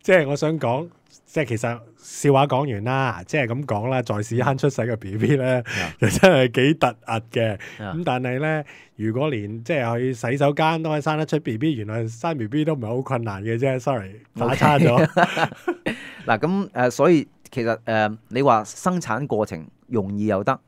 B: 即係我想講，即係其實笑話講完啦，即係咁講啦，在屎坑出世嘅 B B 咧，就真係幾突兀嘅。咁但係咧，如果連即係去洗手間都可以生得出 B B，原來生 B B 都唔係好困難嘅啫。Sorry， 打岔咗。
C: 嗱咁誒，所以其實誒、呃，你話生產過程容易又得。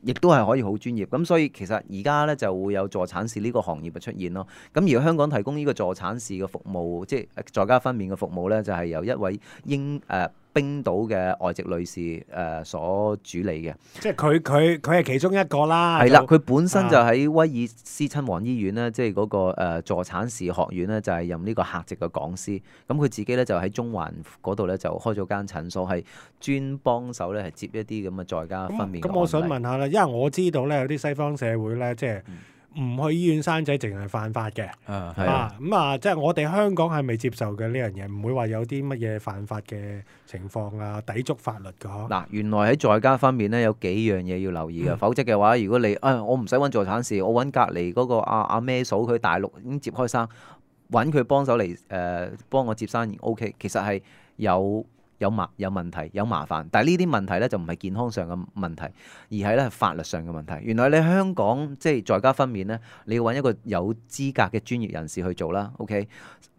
C: 亦都係可以好專業，咁所以其實而家咧就會有助產士呢個行業嘅出現咯。咁而香港提供呢個助產士嘅服務，即係在家分娩嘅服務咧，就係、是、由一位英誒、呃、冰島嘅外籍女士誒、呃、所主理嘅。即係佢佢佢係其中一個啦。係啦，佢本身就喺威爾斯親王醫院咧，即係嗰個誒助產士學院咧，就係任呢個客席嘅講師。咁佢自己咧就喺中環嗰度咧就開咗間診所，係專幫手咧係接一啲咁嘅在家分娩。咁我想問下啦。因為我知道咧，有啲西方社會咧，即係唔去醫院生仔，淨係犯法嘅。啊，係啊，咁啊，即係我哋香港係未接受嘅呢樣嘢，唔會話有啲乜嘢犯法嘅情況啊，抵觸法律㗎嗬。嗱，原來喺在家方面咧，有幾樣嘢要留意嘅，嗯、否則嘅話，如果你啊、哎，我唔使揾助產士，我揾隔離嗰個阿阿咩嫂，佢大陸已經接開生，揾佢幫手嚟誒、呃、幫我接生，O K，其實係有。有麻有問題有麻煩，但係呢啲問題咧就唔係健康上嘅問題，而係咧法律上嘅問題。原來你香港即係在家分娩咧，你要揾一個有資格嘅專業人士去做啦 ，OK？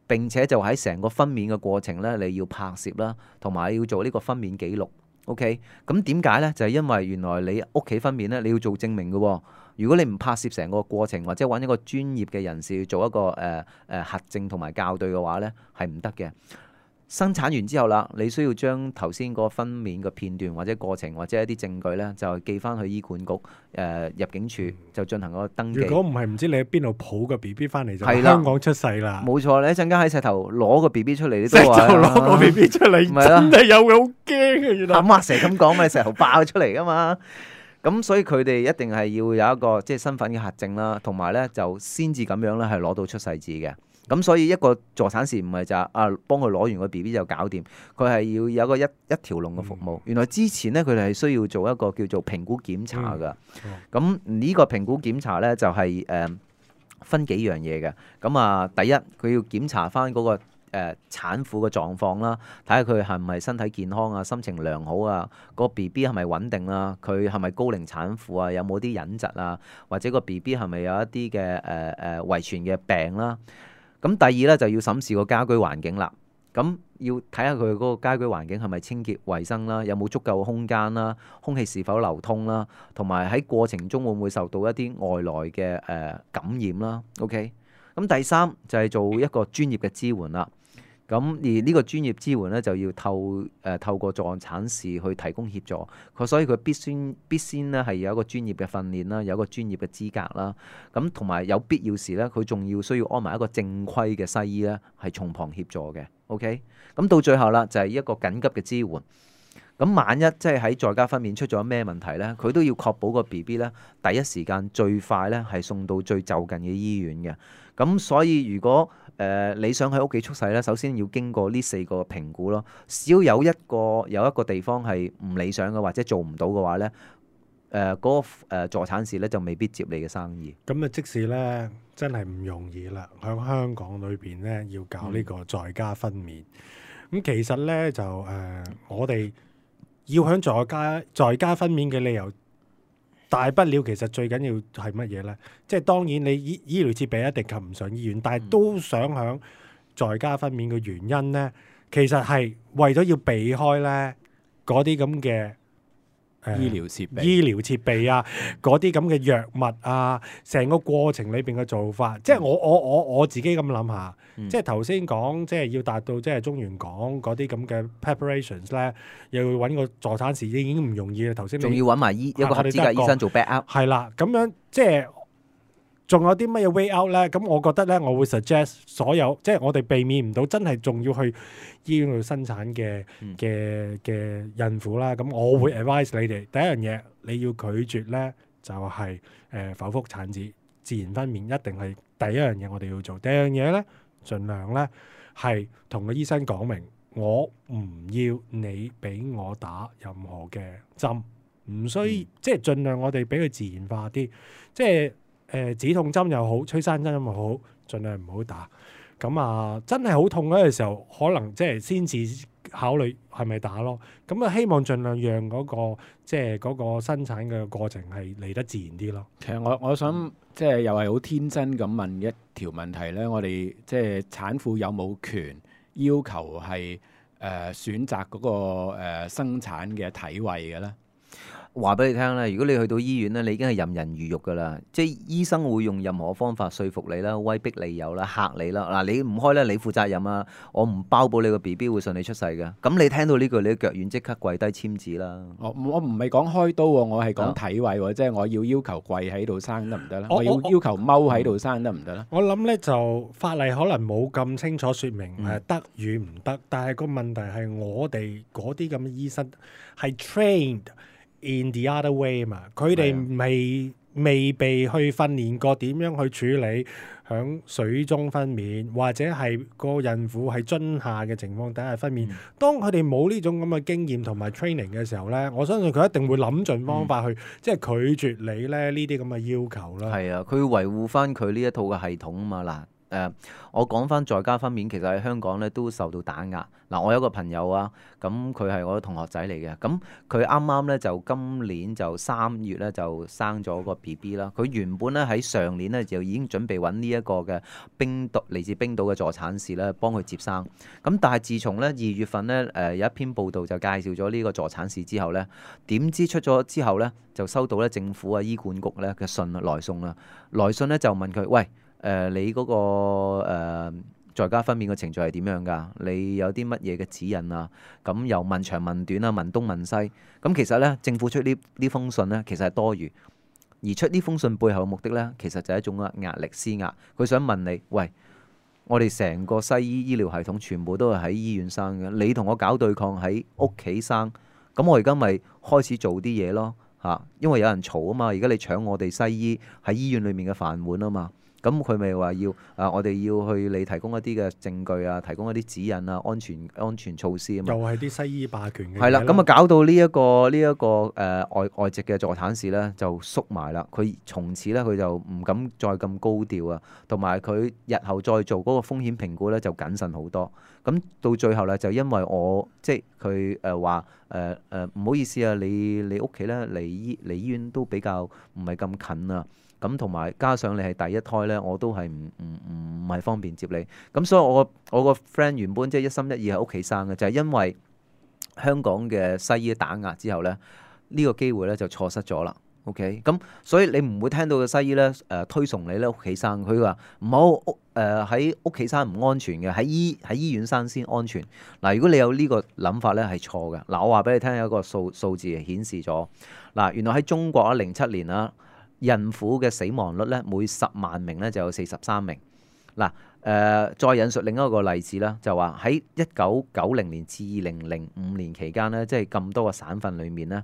C: 並且就喺成個分娩嘅過程咧，你要拍攝啦，同埋要做呢個分娩記錄 ，OK？ 咁點解咧？就係、是、因為原來你屋企分娩咧，你要做證明嘅喎。如果你唔拍攝成個過程，或者揾一個專業嘅人士去做一個誒誒、呃呃、核證同埋校對嘅話咧，係唔得嘅。生產完之後啦，你需要將頭先嗰個分娩嘅片段或者過程或者一啲證據咧，就寄翻去醫管局誒、呃、入境處就進行個登記。
B: 如果唔係唔知你喺邊度抱個 B B 翻嚟就
C: 係啦
B: 香港出世啦。
C: 冇錯，你一陣間喺石頭攞個 B B 出嚟，你
B: 石頭
C: 都話
B: 攞個 B B 出嚟，
C: 咪啦
B: 真係有嘅，好驚啊！原來
C: 阿媽成日咁講咪石頭爆出嚟噶嘛。咁所以佢哋一定係要有一個即係身份嘅核證啦，同埋咧就先至咁樣咧係攞到出世紙嘅。咁所以一個助產士唔係就啊幫佢攞完個 B B 就搞掂，佢係要有一個一一條龍嘅服務。嗯、原來之前咧佢哋係需要做一個叫做評估檢查㗎。咁呢、嗯、個評估檢查咧就係、是、誒、呃、分幾樣嘢嘅。咁啊，第一佢要檢查翻嗰、那個誒、呃、產婦嘅狀況啦，睇下佢係唔係身體健康啊、心情良好啊，個 B B 係咪穩定啦，佢係咪高齡產婦啊，有冇啲隱疾啊，或者個 B B 係咪有一啲嘅誒誒遺傳嘅病啦。咁第二咧就要審視個家居環境啦，咁要睇下佢嗰個家居環境係咪清潔衞生啦，有冇足夠嘅空間啦，空氣是否流通啦，同埋喺過程中會唔會受到一啲外來嘅誒、呃、感染啦。OK，咁第三就係、是、做一個專業嘅支援啦。咁而呢個專業支援咧就要透誒、呃、透過助產士去提供協助，佢所以佢必須必先咧係有一個專業嘅訓練啦，有一個專業嘅資格啦。咁同埋有必要時咧，佢仲要需要安埋一個正規嘅西醫咧，係從旁協助嘅。OK，咁到最後啦，就係、是、一個緊急嘅支援。咁萬一即係喺在家分娩出咗咩問題咧，佢都要確保個 B B 咧第一時間最快咧係送到最就近嘅醫院嘅。咁所以如果誒、呃、你想喺屋企出世咧，首先要經過呢四個評估咯。只要有一個有一個地方係唔理想嘅或者做唔到嘅話咧，誒、呃、嗰、那個誒助產士咧就未必接你嘅生意。
B: 咁啊，即使咧真係唔容易啦，喺香港裏邊咧要搞呢個在家分娩。咁、嗯、其實咧就誒、呃，我哋要喺在家在家分娩嘅理由，大不了其實最緊要係乜嘢咧？即係當然你醫醫療設備一定及唔上醫院，但係都想喺在家分娩嘅原因咧，其實係為咗要避開咧嗰啲咁嘅誒
D: 醫療設備、
B: 醫療設備啊，嗰啲咁嘅藥物啊，成個過程裏邊嘅做法，即係我我我我自己咁諗下，嗯、即係頭先講，即係要達到即係中原港嗰啲咁嘅 preparations 咧，又要揾個助產士已經唔容易啦。頭先
C: 仲要揾埋醫一個合資格醫生做 backup，
B: 係啦，咁樣即係仲有啲乜嘢 way out 咧？咁我覺得咧，我會 suggest 所有即係我哋避免唔到真係仲要去醫院度生產嘅嘅嘅孕婦啦。咁我會 advise 你哋第一樣嘢，你要拒絕咧就係、是、誒、呃、剖腹產子，自然分娩一定係第一樣嘢我哋要做。第二樣嘢咧，盡量咧係同個醫生講明，我唔要你俾我打任何嘅針，唔需、嗯、即係盡量我哋俾佢自然化啲，即係。誒、呃、止痛針又好，催生針又好，盡量唔好打。咁啊，真係好痛嗰個時候，可能即係先至考慮係咪打咯。咁啊，希望盡量讓嗰、嗰個即係嗰個生產嘅過程係嚟得自然啲咯。
D: 其實我我想即係又係好天真咁問一條問題咧，我哋即係產婦有冇權要求係誒、呃、選擇嗰、嗰個、呃、生產嘅體位嘅咧？
C: 話俾你聽啦，如果你去到醫院咧，你已經係任人魚肉噶啦，即係醫生會用任何方法說服你啦、威逼利誘啦、嚇你啦。嗱，你唔開咧，你負責任啊！我唔包保你個 B B 會順利出世嘅。咁你聽到呢句，你腳軟即刻跪低簽字啦。我
D: 我唔係講開刀喎，我係講體位喎，啊、即係我要要求跪喺度生得唔得咧？我要要求踎喺度生得唔得咧？
B: 我諗咧就法例可能冇咁清楚説明誒得與唔得，但係個問題係我哋嗰啲咁嘅醫生係 trained in the other way 嘛，佢哋未未被去訓練過點樣去處理響水中分娩，或者係個孕婦係樽下嘅情況底下分娩。嗯、當佢哋冇呢種咁嘅經驗同埋 training 嘅時候咧，我相信佢一定會諗盡方法去，嗯、即係拒絕你咧呢啲咁嘅要求啦。係
C: 啊，佢維護翻佢呢一套嘅系統啊嘛嗱。誒、呃，我講翻在家分娩，其實喺香港咧都受到打壓。嗱、呃，我有個朋友啊，咁佢係我嘅同學仔嚟嘅，咁佢啱啱咧就今年就三月咧就生咗個 B B 啦。佢原本咧喺上年咧就已經準備揾呢一個嘅冰島嚟自冰島嘅助產士咧幫佢接生。咁但係自從咧二月份咧誒、呃、有一篇報道就介紹咗呢個助產士之後咧，點知出咗之後咧就收到咧政府啊醫管局咧嘅信來信啦，來信咧就問佢喂。誒、呃、你嗰、那個誒、呃、在家分娩嘅程序係點樣㗎？你有啲乜嘢嘅指引啊？咁又問長問短啊，問東問西。咁其實呢，政府出呢呢封信呢，其實係多餘。而出呢封信背後嘅目的呢，其實就係一種壓力施壓。佢想問你，喂，我哋成個西醫醫療系統全部都係喺醫院生嘅，你同我搞對抗喺屋企生，咁我而家咪開始做啲嘢咯嚇，因為有人嘈啊嘛，而家你搶我哋西醫喺醫院裡面嘅飯碗啊嘛。咁佢咪話要啊？我哋要去你提供一啲嘅證據啊，提供一啲指引啊，安全安全措施啊嘛。
B: 又係啲西醫霸權嘅。
C: 係啦，咁啊搞到呢、這、一個呢一、這個誒、呃、外外籍嘅助產士咧就縮埋啦。佢從此咧佢就唔敢再咁高調啊，同埋佢日後再做嗰個風險評估咧就謹慎好多。咁到最後咧就因為我即係佢誒話誒誒唔好意思啊，你你屋企咧離醫離醫院都比較唔係咁近啊。咁同埋加上你係第一胎咧，我都係唔唔唔係方便接你。咁所以我個我個 friend 原本即係一心一意喺屋企生嘅，就係、是、因為香港嘅西醫打壓之後咧，呢、這個機會咧就錯失咗啦。OK，咁所以你唔會聽到個西醫咧誒、呃、推崇你咧屋企生，佢話唔好屋誒喺屋企生唔安全嘅，喺醫喺醫院生先安全。嗱，如果你有呢個諗法咧係錯嘅。嗱，我話俾你聽，有一個數數字顯示咗嗱，原來喺中國啊零七年啊。孕婦嘅死亡率咧，每十萬名咧就有四十三名。嗱，誒再引述另一個例子啦，就話喺一九九零年至二零零五年期間咧，即係咁多個省份裏面咧，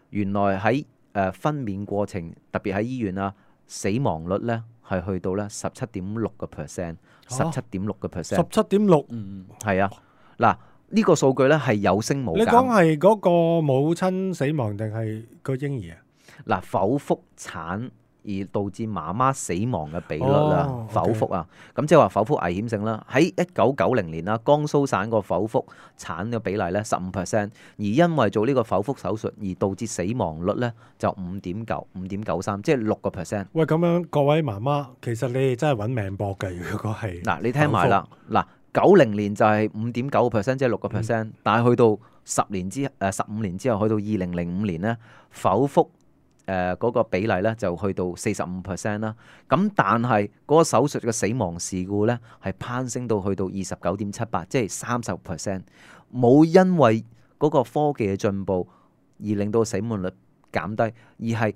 C: 原來喺誒分娩過程，特別喺醫院啊，死亡率咧係去到咧十七點六個 percent， 十七點六個 percent，
B: 十七點六，
C: 嗯，係啊，嗱呢個數據咧係有升冇減。
B: 你講係嗰個母親死亡定係個嬰兒啊？
C: 嗱，剖腹產而導致媽媽死亡嘅比率啦，
B: 哦、
C: 剖腹啊，咁即係話剖腹危險性啦。喺一九九零年啦，江蘇省個剖腹產嘅比例咧十五 percent， 而因為做呢個剖腹手術而導致死亡率咧就五點九五點九三，即係六個 percent。
B: 喂，咁樣各位媽媽，其實你哋真係揾命搏㗎。如果係
C: 嗱，你聽埋啦，嗱九零年就係五點九個 percent， 即係六個 percent，但係去到十年之誒十五年之後，去到二零零五年咧剖腹。誒嗰、呃那個比例咧就去到四十五 percent 啦，咁但係嗰個手術嘅死亡事故咧係攀升到去到二十九點七八，即係三十 percent， 冇因為嗰個科技嘅進步而令到死亡率減低，而係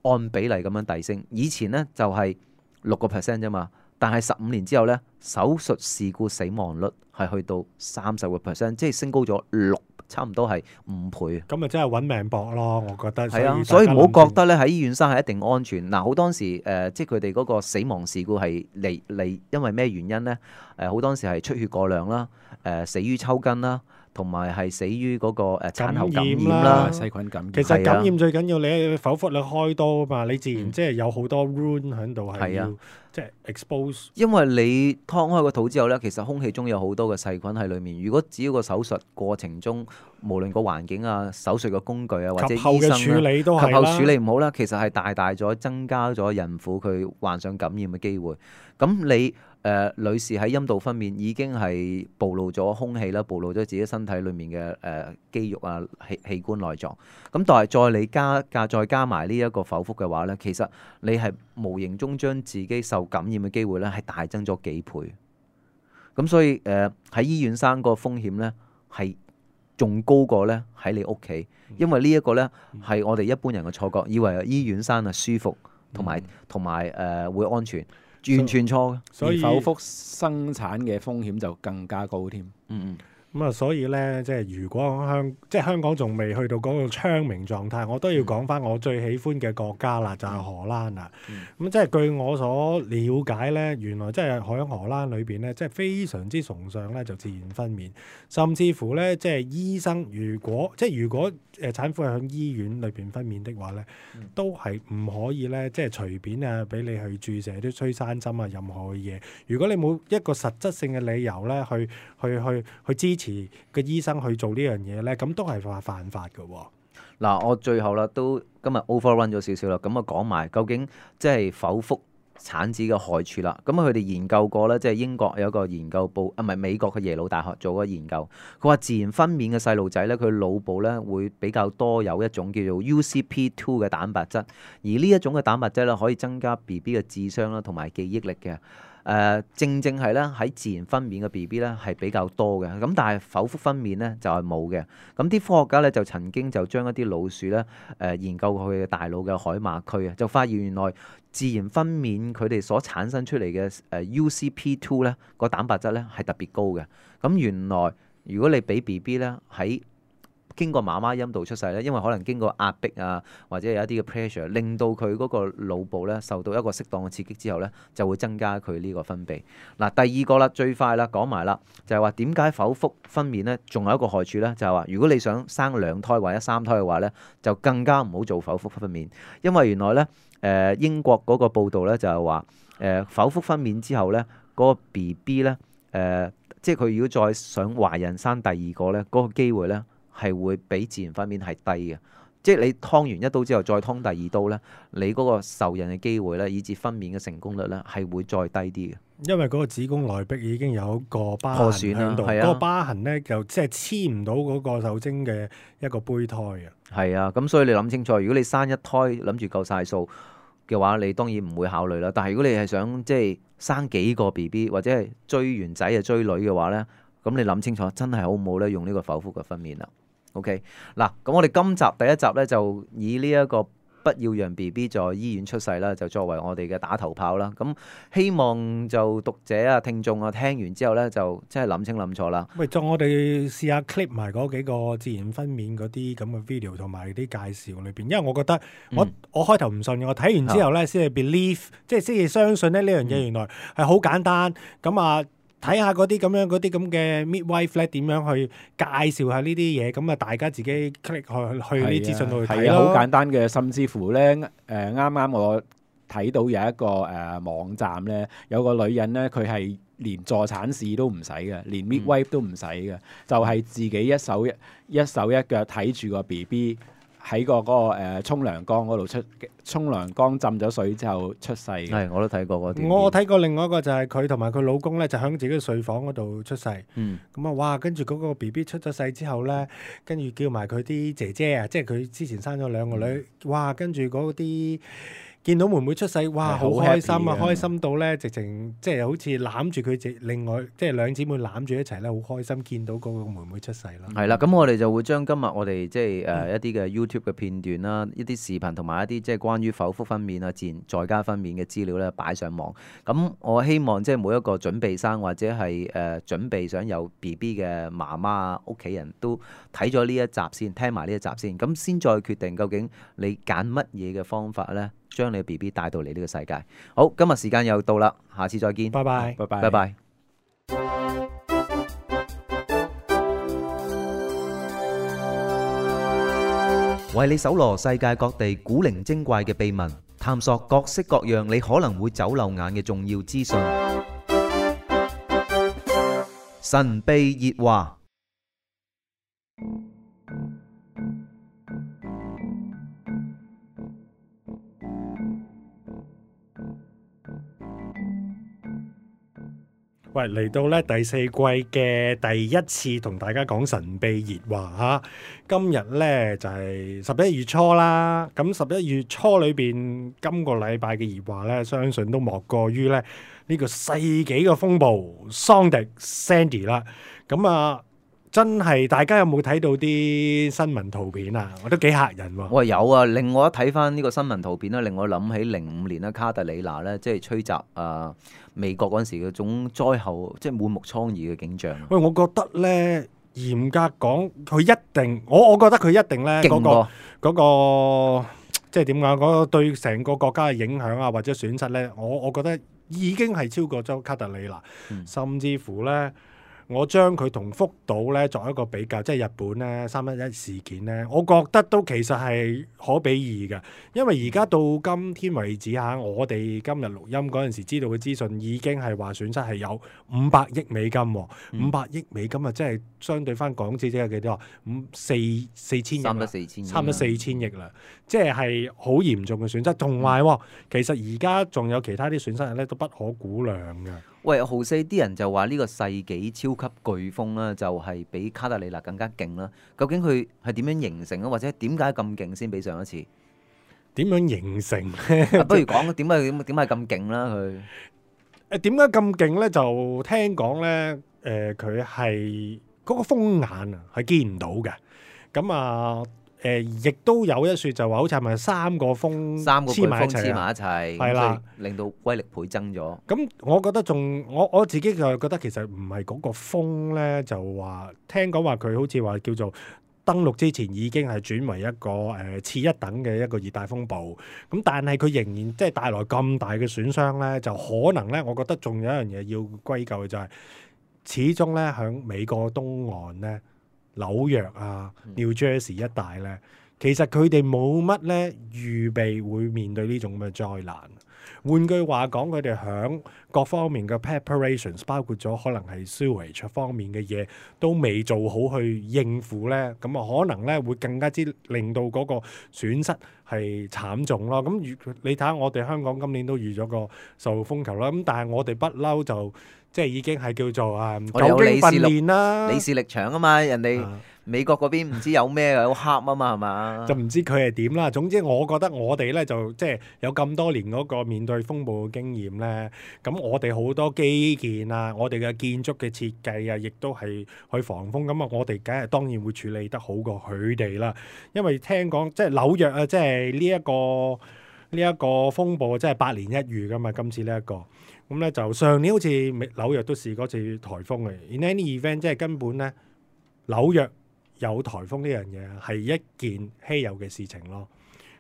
C: 按比例咁樣遞升。以前咧就係六個 percent 啫嘛，但係十五年之後咧手術事故死亡率係去到三十個 percent， 即係升高咗六。差唔多係五倍，
B: 咁咪真係揾命搏咯，我覺得。
C: 係啊，所以唔好覺得咧喺醫院生係一定安全。嗱，好多時誒、呃，即係佢哋嗰個死亡事故係嚟嚟，因為咩原因咧？誒、呃，好多時係出血過量啦，誒、呃，死於抽筋啦。同埋係死於嗰個誒產後感染啦，
D: 細菌感染。
B: 其實感染最緊要你剖腹你開刀啊嘛，你自然即係有好多 wound 喺度係要即係 expose。
C: 因為你劏開個肚之後咧，其實空氣中有好多嘅細菌喺裡面。如果只要個手術過程中，無論個環境啊、手術嘅工具啊，或者醫生咧，及後嘅處理都係啦，及後處理唔好啦，其實係大大咗增加咗孕婦佢患上感染嘅機會。咁你誒、呃、女士喺陰道分娩已經係暴露咗空氣啦，暴露咗自己身體裡面嘅誒、呃、肌肉啊、器器官內臟。咁但係再你加加再加埋呢一個剖腹嘅話咧，其實你係無形中將自己受感染嘅機會咧係大增咗幾倍。咁所以誒喺、呃、醫院生個風險咧係仲高過咧喺你屋企，因為呢一個咧係我哋一般人嘅錯覺，以為醫院生啊舒服同埋同埋誒會安全。完全錯嘅，
D: 所以剖腹生產嘅風險就更加高添。
C: 嗯嗯。
B: 咁啊，所以咧，即係如果香即係香港仲未去到嗰個昌明狀態，我都要講翻我最喜歡嘅國家啦，就係、是、荷蘭啦。咁、嗯、即係據我所了解咧，原來即係喺荷蘭裏邊咧，即係非常之崇尚咧就自然分娩，甚至乎咧即係醫生如果即係如果誒產婦係喺醫院裏邊分娩的話咧，嗯、都係唔可以咧即係隨便啊俾你去注射啲催生針啊任何嘅嘢。如果你冇一個實質性嘅理由咧去去去去支持個醫生去做呢樣嘢咧，咁都係犯犯法嘅。
C: 嗱，我最後啦，都今日 overrun 咗少少啦，咁啊講埋究竟即係剖腹產子嘅害處啦。咁啊，佢哋研究過咧，即係英國有一個研究報啊，唔係美國嘅耶魯大學做過研究，佢話自然分娩嘅細路仔咧，佢腦部咧會比較多有一種叫做 U C P 二 嘅蛋白質，而呢一種嘅蛋白質咧可以增加 B B 嘅智商啦同埋記憶力嘅。誒、呃、正正係咧喺自然分娩嘅 B B 咧係比較多嘅，咁但係剖腹分娩咧就係冇嘅。咁啲科學家咧就曾經就將一啲老鼠咧誒、呃、研究佢嘅大腦嘅海馬區啊，就發現原來自然分娩佢哋所產生出嚟嘅誒 U C P 二 咧個蛋白質咧係特別高嘅。咁原來如果你俾 B B 咧喺經過媽媽陰道出世咧，因為可能經過壓迫啊，或者有一啲嘅 pressure，令到佢嗰個腦部咧受到一個適當嘅刺激之後咧，就會增加佢呢個分泌。嗱，第二個啦，最快啦，講埋啦，就係話點解剖腹分娩咧，仲有一個害處咧，就係話如果你想生兩胎或者三胎嘅話咧，就更加唔好做剖腹分娩，因為原來咧誒、呃、英國嗰個報道咧就係話誒剖腹分娩之後咧，嗰、嗰個 B B 咧誒，即係佢如果再想懷孕生第二個咧，嗰、嗰個機會咧，係會比自然分娩係低嘅，即係你劏完一刀之後再劏第二刀咧，你嗰個受孕嘅機會咧，以至分娩嘅成功率咧係會再低啲嘅。因為
B: 嗰個子宮內壁已經有一個疤
C: 破
B: 痕喺度，嗰、啊、個疤痕咧就即係黐唔到嗰個受精嘅一個胚胎啊。
C: 係啊，咁所以你諗清楚，如果你生一胎諗住夠晒數嘅話，你當然唔會考慮啦。但係如果你係想即係生幾個 B B 或者係追完仔就追女嘅話咧，咁你諗清楚，真係好唔好咧用呢個剖腹嘅分娩啦。OK， 嗱，咁我哋今集第一集咧就以呢一個不要讓 B B 在醫院出世啦，就作為我哋嘅打頭炮啦。咁希望就讀者啊、聽眾啊聽完之後咧，就真係諗清諗錯啦。
B: 喂，就我哋試下 clip 埋嗰幾個自然分娩嗰啲咁嘅 video 同埋啲介紹裏邊，因為我覺得我、嗯、我開頭唔信嘅，我睇完之後咧先係 believe，即係先至相信咧呢樣嘢原來係好簡單。咁啊〜睇下嗰啲咁樣嗰啲咁嘅 midwife 咧點樣去介紹下呢啲嘢，咁啊大家自己 click 去去呢資訊度去睇咯。
D: 好簡單嘅，甚至乎咧誒啱啱我睇到有一個誒、呃、網站咧，有個女人咧佢係連助產士都唔使嘅，連 midwife 都唔使嘅，嗯、就係自己一手一一手一腳睇住個 B B。喺個嗰個誒沖涼缸嗰度出，沖涼缸浸咗水之後出世。
C: 係，我都睇過嗰啲。
B: 我睇過另外一個就係佢同埋佢老公咧，就喺自己嘅睡房嗰度出世。嗯。咁啊，哇！跟住嗰個 B B 出咗世之後咧，跟住叫埋佢啲姐姐啊，即係佢之前生咗兩個女，嗯、哇！跟住嗰啲。見到妹妹出世，哇！好開心啊，開心到咧，直情即係好似攬住佢，直另外即係兩姊妹攬住一齊咧，好開心見到嗰個妹妹出世啦。
C: 係啦，咁我哋就會將今日我哋即係誒一啲嘅 YouTube 嘅片段啦，一啲視頻同埋一啲即係關於剖腹分娩啊、自然在家分娩嘅資料咧擺上網。咁我希望即係每一個準備生或者係誒、呃、準備想有 B B 嘅媽媽啊、屋企人都睇咗呢一集先，聽埋呢一集先，咁先再決定究竟你揀乜嘢嘅方法咧。將你嘅 B B 帶到嚟呢個世界。好，今日時間又到啦，下次再見。
B: 拜拜，
D: 拜拜，
C: 拜拜。為你搜羅世界各地古靈精怪嘅秘聞，探索各式各樣你可能會走漏眼嘅重要資訊。神秘熱話。
B: 喂，嚟到咧第四季嘅第一次同大家講神秘熱話嚇，今日咧就係十一月初啦。咁十一月初裏邊，今個禮拜嘅熱話咧，相信都莫過於咧呢個世紀嘅風暴桑迪 Sandy 啦。咁啊，真係大家有冇睇到啲新聞圖片啊？我都幾嚇人喎。
C: 我有啊，另外一睇翻呢個新聞圖片咧，令我諗起零五年咧卡特里娜咧，即係吹襲啊美國嗰陣時嗰種災後，即係滿目瘡痍嘅景象。
B: 喂，我覺得咧，嚴格講，佢一定，我我覺得佢一定咧，嗰個嗰個即係點講，嗰個對成個國家嘅影響啊，或者損失咧，我我覺得已經係超過咗卡特里娜，嗯、甚至乎咧。我將佢同福島咧作一個比較，即係日本咧三一一事件咧，我覺得都其實係可比擬嘅，因為而家到今天為止嚇，我哋今日錄音嗰陣時知道嘅資訊已經係話損失係有五百億美金，五百億美金啊，即係相對翻港紙即係幾多啊？五四四千億，
C: 差唔多四千，
B: 差唔多四千億啦，即係係好嚴重嘅損失。同埋、嗯、其實而家仲有其他啲損失咧，都不可估量嘅。
C: 喂，豪四啲人就話呢個世紀超級颶風啦，就係比卡特里娜更加勁啦。究竟佢係點樣形成啊？或者點解咁勁先比上一次？
B: 點樣形成咧、
C: 啊？不如講點解點點解咁勁啦？佢
B: 誒點解咁勁咧？就聽講咧，誒佢係嗰個風眼啊，係見唔到嘅。咁啊誒，亦都有一説就話，好似係咪三個風
C: 三個颶風黐
B: 黐埋一齊啊？
C: 埋一齊，
B: 係啦
C: 所以令到威力倍增咗。
B: 咁我覺得仲我我自己就覺得其實唔係嗰個風咧，就話聽講話佢好似話叫做登陸之前已經係轉為一個誒次一等嘅一個熱帶風暴。咁但係佢仍然即係帶來咁大嘅損傷咧，就可能咧，我覺得仲有一樣嘢要歸咎嘅就係、是、始終咧喺美國東岸咧，紐約啊、New Jersey 一帶咧，其實佢哋冇乜咧預備會面對呢種咁嘅災難。換句話講，佢哋響各方面嘅 preparations， 包括咗可能係 sewage 方面嘅嘢，都未做好去應付咧，咁啊可能咧會更加之令到嗰個損失係慘重咯。咁如你睇下，我哋香港今年都預咗個十號風球啦，咁但係我哋不嬲就即係已經係叫做啊久經訓練啦，
C: 李氏力場啊嘛，人哋。
B: 啊
C: 美國嗰邊唔知有咩好黑啊嘛，係嘛？
B: 就唔知佢係點啦。總之我覺得我哋咧就即係有咁多年嗰個面對風暴嘅經驗咧，咁我哋好多基建啊，我哋嘅建築嘅設計啊，亦都係去防風。咁啊，我哋梗係當然會處理得好過佢哋啦。因為聽講即係紐約啊，即係呢一個呢一個風暴，即係百年一遇噶嘛。今次呢一個咁咧，就上年好似紐約都試過次颱風嘅。In any event，即係根本咧紐約有颱風呢樣嘢係一件稀有嘅事情咯。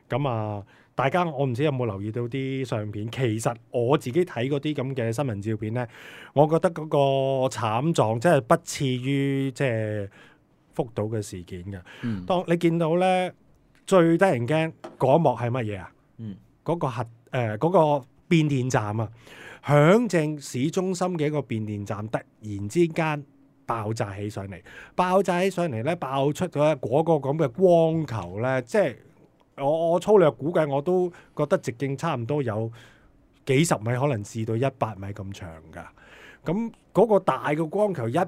B: 咁啊，大家我唔知有冇留意到啲相片。其實我自己睇嗰啲咁嘅新聞照片咧，我覺得嗰個慘狀真係不次於即係福島嘅事件嘅。
C: 嗯，
B: 當你見到咧最得人驚嗰一幕係乜嘢啊？
C: 嗯，
B: 嗰個核誒嗰、呃嗰個變電站啊，響正市中心嘅一個變電站，突然之間爆炸起上嚟，爆炸起上嚟咧，爆出咗嗰個咁嘅光球咧，即係我我粗略估計，我都覺得直徑差唔多有幾十米，可能至到一百米咁長㗎。咁嗰個大嘅光球一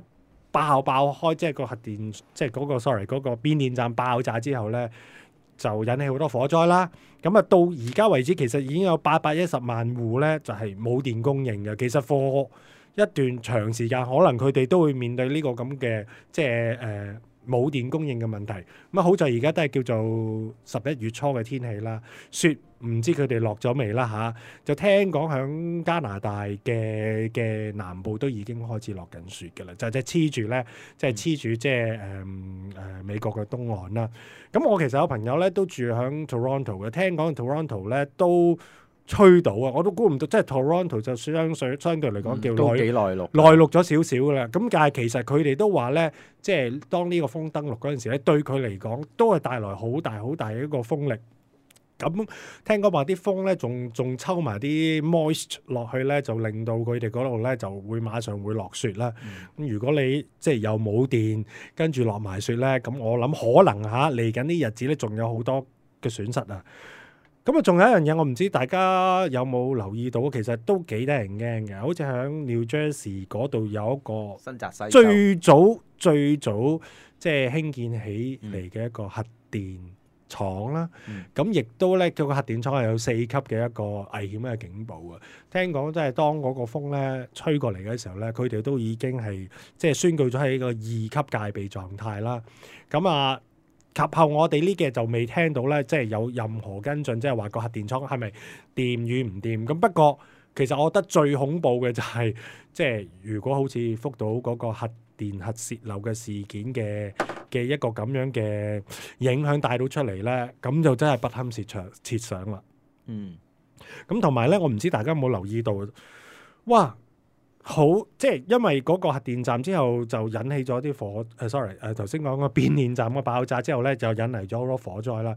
B: 爆爆開，即係個核電，即係嗰個 sorry 嗰個變電站爆炸之後咧，就引起好多火災啦。咁啊，到而家為止，其實已經有八百一十萬戶咧，就係冇電供應嘅。其實貨一段長時間，可能佢哋都會面對呢個咁嘅即係誒冇電供應嘅問題。咁啊，好在而家都係叫做十一月初嘅天氣啦，雪唔知佢哋落咗未啦嚇。就聽講響加拿大嘅嘅南部都已經開始落緊雪嘅啦，就即係黐住咧，即係黐住即係誒誒美國嘅東岸啦。咁我其實有朋友咧都住響 Toronto 嘅，聽講 Toronto 咧都吹到啊！我都估唔到，即係 Toronto 就相對相對嚟講叫
D: 都幾
B: 內
D: 內陸，
B: 內陸咗少少噶啦。咁但係其實佢哋都話咧，即係當呢個風登陸嗰陣時咧，對佢嚟講都係帶來好大好大嘅一個風力。咁聽講話啲風咧，仲仲抽埋啲 moist 落去咧，就令到佢哋嗰度咧就會馬上會落雪啦。咁、嗯、如果你即係又冇電，跟住落埋雪咧，咁我諗可能嚇嚟緊啲日子咧，仲有好多嘅損失啊！咁啊，仲有一樣嘢，我唔知大家有冇留意到，其實都幾得人驚嘅。好似喺 New Jersey 嗰度有一個
C: 新澤西
B: 最早最早即係興建起嚟嘅一個核電廠啦。咁亦、嗯、都咧，佢個核電廠係有四級嘅一個危險嘅警報啊。聽講即係當嗰個風咧吹過嚟嘅時候咧，佢哋都已經係即係宣告咗喺個二級戒備狀態啦。咁啊〜及後我哋呢嘅就未聽到咧，即係有任何跟進，即係話個核電廠係咪掂與唔掂？咁不過其實我覺得最恐怖嘅就係、是，即係如果好似福島嗰個核電核泄漏嘅事件嘅嘅一個咁樣嘅影響帶到出嚟咧，咁就真係不堪設想設想啦。
C: 嗯，
B: 咁同埋咧，我唔知大家有冇留意到，哇！好，即係因為嗰個核電站之後就引起咗啲火，誒、呃、sorry，誒頭先講個變電站嘅爆炸之後咧，就引嚟咗好多火災啦。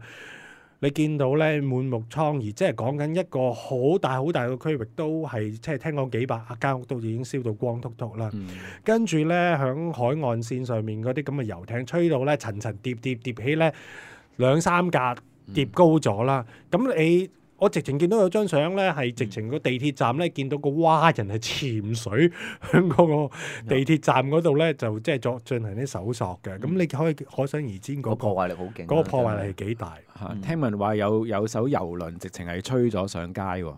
B: 你見到咧滿目瘡痍，即係講緊一個好大好大嘅區域都係，即係聽講幾百間屋都已經燒到光禿禿啦。嗯、跟住咧響海岸線上面嗰啲咁嘅遊艇吹到咧層層疊疊疊起咧兩三格疊高咗啦。咁、嗯、你我直情見到有張相咧，係直情個地鐵站咧，見到個蛙人係潛水喺嗰個地鐵站嗰度咧，就即係作進行啲搜索嘅。咁、嗯、你可以可想而知嗰、嗰個
C: 破壞力好勁，
B: 嗰個破壞力係幾大？
D: 嚇、嗯！聽聞話有有艘遊輪直情係吹咗上街喎。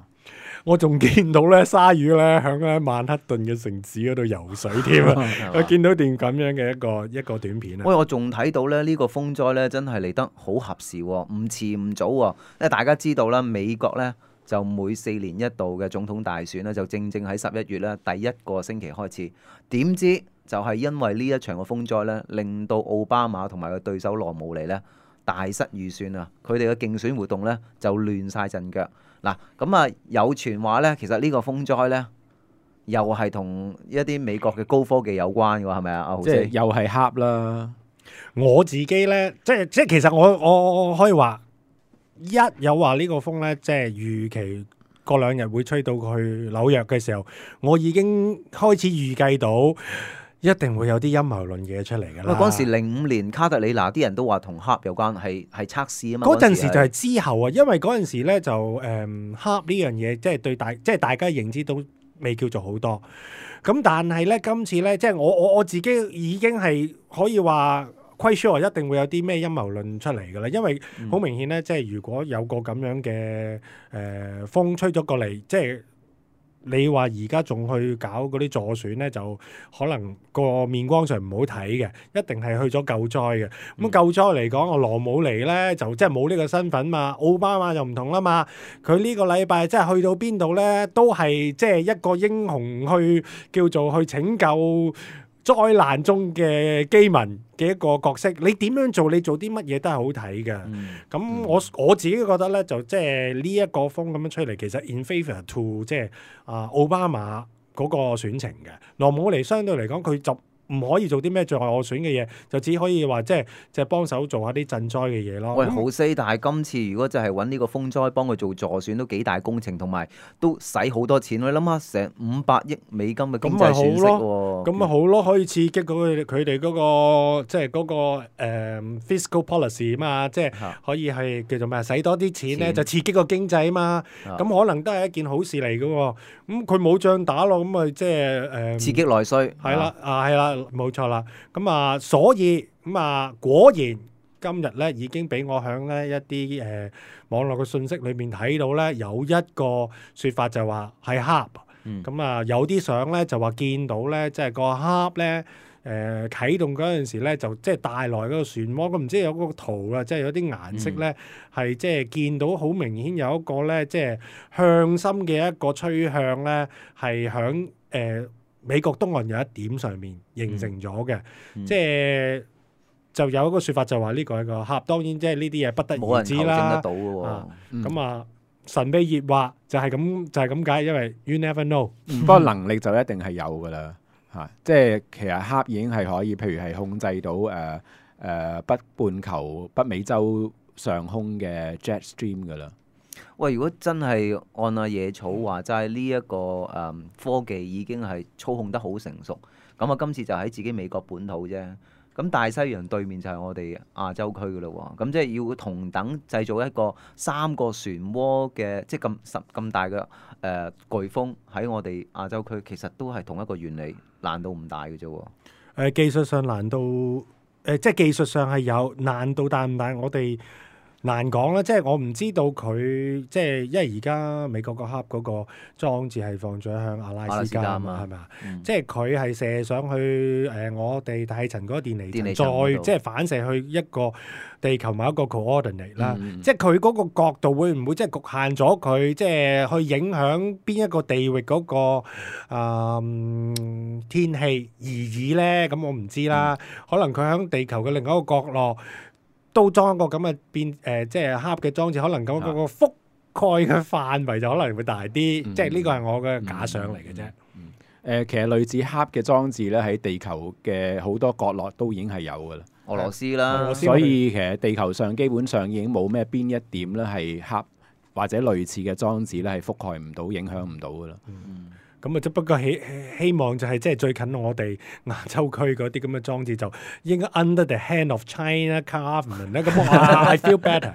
B: 我仲見到咧鯊魚咧響咧曼克頓嘅城市嗰度游水添啊！我見到段咁樣嘅一個一個短片啊！
C: 喂，我仲睇到咧呢個風災咧真係嚟得好合時喎，唔遲唔早喎。因為大家知道啦，美國咧就每四年一度嘅總統大選咧，就正正喺十一月咧第一個星期開始。點知就係因為呢一場嘅風災咧，令到奧巴馬同埋個對手羅姆尼咧大失預算啊！佢哋嘅競選活動咧就亂晒陣腳。嗱，咁啊有傳話咧，其實呢個風災咧又係同一啲美國嘅高科技有關嘅喎，係咪啊？阿豪
D: 即係
C: 姐，
D: 又係恰啦。
B: 我自己咧，即係即係其實我我我可以話，一有話呢個風咧，即係預期過兩日會吹到去紐約嘅時候，我已經開始預計到一定會有啲陰謀論嘅嘢出嚟㗎啦。
C: 喂，嗰陣時零五年卡特里娜啲人都話同黑有關，係係測試啊嘛。
B: 嗰陣時就係之後啊，因為嗰陣時咧就誒黑呢樣嘢，即係對大即係大家認知都未叫做好多。咁但係咧今次咧，即係我我我自己已經係可以話quite sure一定會有啲咩陰謀論出嚟㗎啦，因為好明顯咧，即係如果有個咁樣嘅誒、呃、風吹咗過嚟，即係。你話而家仲去搞嗰啲助選咧，就可能個面光上唔好睇嘅，一定係去咗救災嘅。咁、嗯、救災嚟講，我羅姆尼咧就即係冇呢個身份嘛，奧巴馬就唔同啦嘛。佢呢個禮拜即係去到邊度咧，都係即係一個英雄去叫做去拯救災難中嘅基民嘅一個角色。你點樣做，你做啲乜嘢都係好睇嘅。咁、嗯、我我自己覺得咧，就即係呢一個風咁樣吹嚟，其實 in favour to 即係啊奧巴馬嗰個選情嘅。羅姆尼相對嚟講，佢就唔可以做啲咩最後選嘅嘢，就只可以話即係即係幫手做下啲賑災嘅嘢咯。
C: 喂，好犀！但係今次如果就係揾呢個風災幫佢做助選，都幾大工程，同埋都使好多錢。你諗下，成五百億美金嘅經濟損失喎。
B: 咁咪好咯，可以刺激佢佢哋嗰個即係嗰個、呃、fiscal policy 嘛，即係可以係叫做咩？使多啲錢咧，就刺激個經濟啊嘛。咁可能都係一件好事嚟嘅喎。咁佢冇仗打咯，咁咪即係誒
C: 刺激內需。
B: 係啦，啊係啦。冇錯啦，咁啊，所以咁啊，果然今日咧已經俾我響咧一啲誒、呃、網絡嘅信息裏面睇到咧，有一個説法就話係黑，咁、嗯、啊有啲相咧就話見到咧，即係個黑咧誒啟動嗰陣時咧，就即係帶來嗰個漩渦，咁唔知有嗰個圖啊，即係有啲顏色咧係即係見到好明顯有一個咧，即係向心嘅一個趨向咧，係響誒。呃美國東岸有一點上面形成咗嘅，嗯、即係就有一個説法就話呢個係個黑，當然即係呢啲嘢不得而知啦。冇人求證得到嘅喎。咁、嗯、啊，神秘熱話就係咁就係咁解，因為 you never know。
D: 不過能力就一定係有㗎啦，嚇！即係其實黑已經係可以，譬如係控制到誒誒、呃呃、北半球北美洲上空嘅 jet stream 㗎啦。
C: 喂，如果真係按阿野草話齋呢一個誒、嗯、科技已經係操控得好成熟，咁啊今次就喺自己美國本土啫。咁大西洋對面就係我哋亞洲區噶咯喎，咁即係要同等製造一個三個漩渦嘅，即係咁十咁大嘅誒、呃、颶風喺我哋亞洲區，其實都係同一個原理，難度唔大嘅啫喎。
B: 誒技術上難度誒、呃，即係技術上係有難度大唔大？我哋難講啦，即係我唔知道佢即係，因為而家美國個黑嗰個裝置係放咗向阿拉斯加啊嘛，係咪啊？即係佢係射上去誒、呃，我哋大氣層嗰個電離層，離層再即係反射去一個地球某一個 coordinate 啦。嗯、即係佢嗰個角度會唔會即係局限咗佢，即係去影響邊一個地域嗰、嗰個、呃、天氣而已咧？咁我唔知啦。嗯、可能佢喺地球嘅另一個角落，都裝一個咁嘅變誒、呃，即係黑嘅裝置，可能咁嗰個覆蓋嘅範圍就可能會大啲。嗯、即係呢個係我嘅假想嚟嘅啫。誒、
D: 嗯嗯呃，其實類似黑嘅裝置咧，喺地球嘅好多角落都已經係有㗎啦。
C: 俄羅斯啦，
D: 俄羅斯所以其實地球上基本上已經冇咩邊一點咧係黑或者類似嘅裝置咧係覆蓋唔到、影響唔到㗎啦。
B: 嗯咁啊，只不過希希望就係即係最近我哋亞洲區嗰啲咁嘅裝置就應該 under the hand of China government 咧。咁啊，I feel better。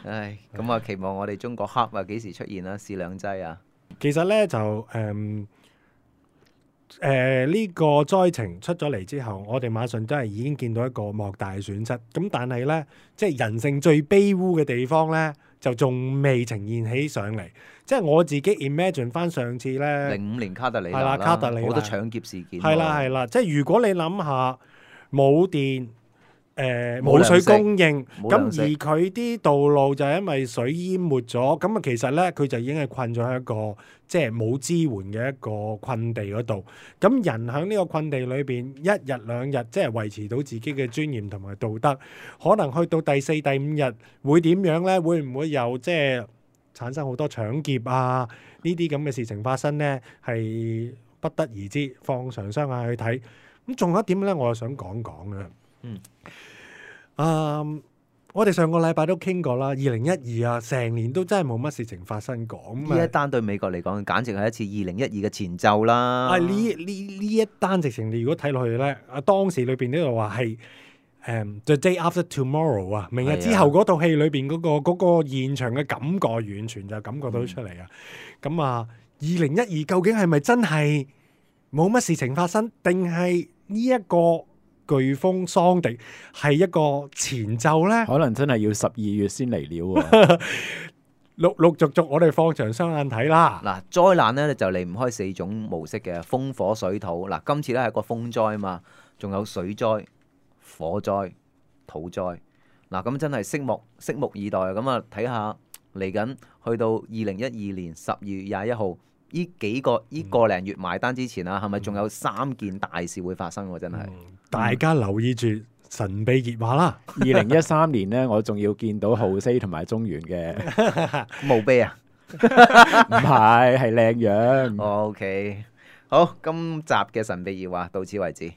C: 唉，咁啊，期望我哋中國黑啊幾時出現啊？試兩劑啊！
B: 其實咧就誒、嗯，誒呢個災情出咗嚟之後，我哋馬上都係已經見到一個莫大嘅損失。咁但係咧，即係人性最卑污嘅地方咧，就仲未呈現起上嚟。即係我自己 imagine 翻上次咧，
C: 零五年卡特里娜
B: 係啦，卡特里娜
C: 好多搶劫事件。
B: 係啦係啦，即係如果你諗下冇電。誒冇、
C: 冇
B: 水供應，
C: 冇
B: 咁
C: 糧食
B: 而佢啲道路就係因為水淹沒咗，咁啊其實咧佢就已經係困咗喺一個即係冇支援嘅一個困地嗰度。咁人喺呢個困地裏邊一日兩日，即係維持到自己嘅尊嚴同埋道德，可能去到第四第五日會點樣咧？會唔會有即係產生好多搶劫啊？呢啲咁嘅事情發生咧，係不得而知，放長雙眼去睇。咁仲有一點咧，我又想講講嘅。
C: 嗯，
B: 啊、um, 我哋上個禮拜都傾過啦，二零一二啊，成年都真係冇乜事情發生過。
C: 呢一單對美國嚟講，簡直係一次二零一二嘅前奏啦。
B: 啊，呢呢呢一單直情，你如果睇落去咧，啊當時裏邊呢度話係誒 The Day After Tomorrow 啊，明日之後嗰套戲裏邊嗰、嗰個嗰、嗰個現場嘅感覺，完全就感覺到出嚟啊！咁、嗯、啊，二零一二究竟係咪真係冇乜事情發生，定係呢一個颶風桑迪係一個前奏咧？
D: 可能真係要十二月先嚟了喎。
B: 陸陸續續，我哋放長雙眼睇啦。
C: 嗱，災難咧就離唔開四種模式嘅風火水土。嗱，今次咧係一個風災啊嘛，仲有水災、火災、土災。嗱，咁真係拭目拭目以待。咁啊，睇下嚟緊去到二零一二年十二月廿一號。呢幾個呢個零月埋單之前啊，係咪仲有三件大事會發生喎？真係、嗯，
B: 大家留意住神秘熱話啦。
D: 二零一三年呢，我仲要見到浩西同埋中原嘅
C: 墓碑啊，
D: 唔係係靚樣。
C: OK，好，今集嘅神秘熱話到此為止。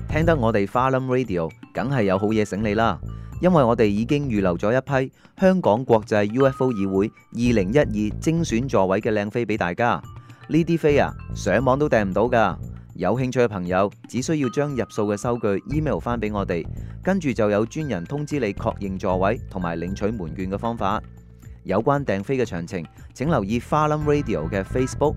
C: 聽得我哋花冧 Radio， 梗係有好嘢醒你啦！因為我哋已經預留咗一批香港國際 U F O 議會二零一二精選座位嘅靚飛俾大家。呢啲飛啊，上網都訂唔到噶。有興趣嘅朋友，只需要將入數嘅收據 email 翻俾我哋，跟住就有專人通知你確認座位同埋領取門券嘅方法。有關訂飛嘅詳情，請留意花冧 Radio 嘅 Facebook。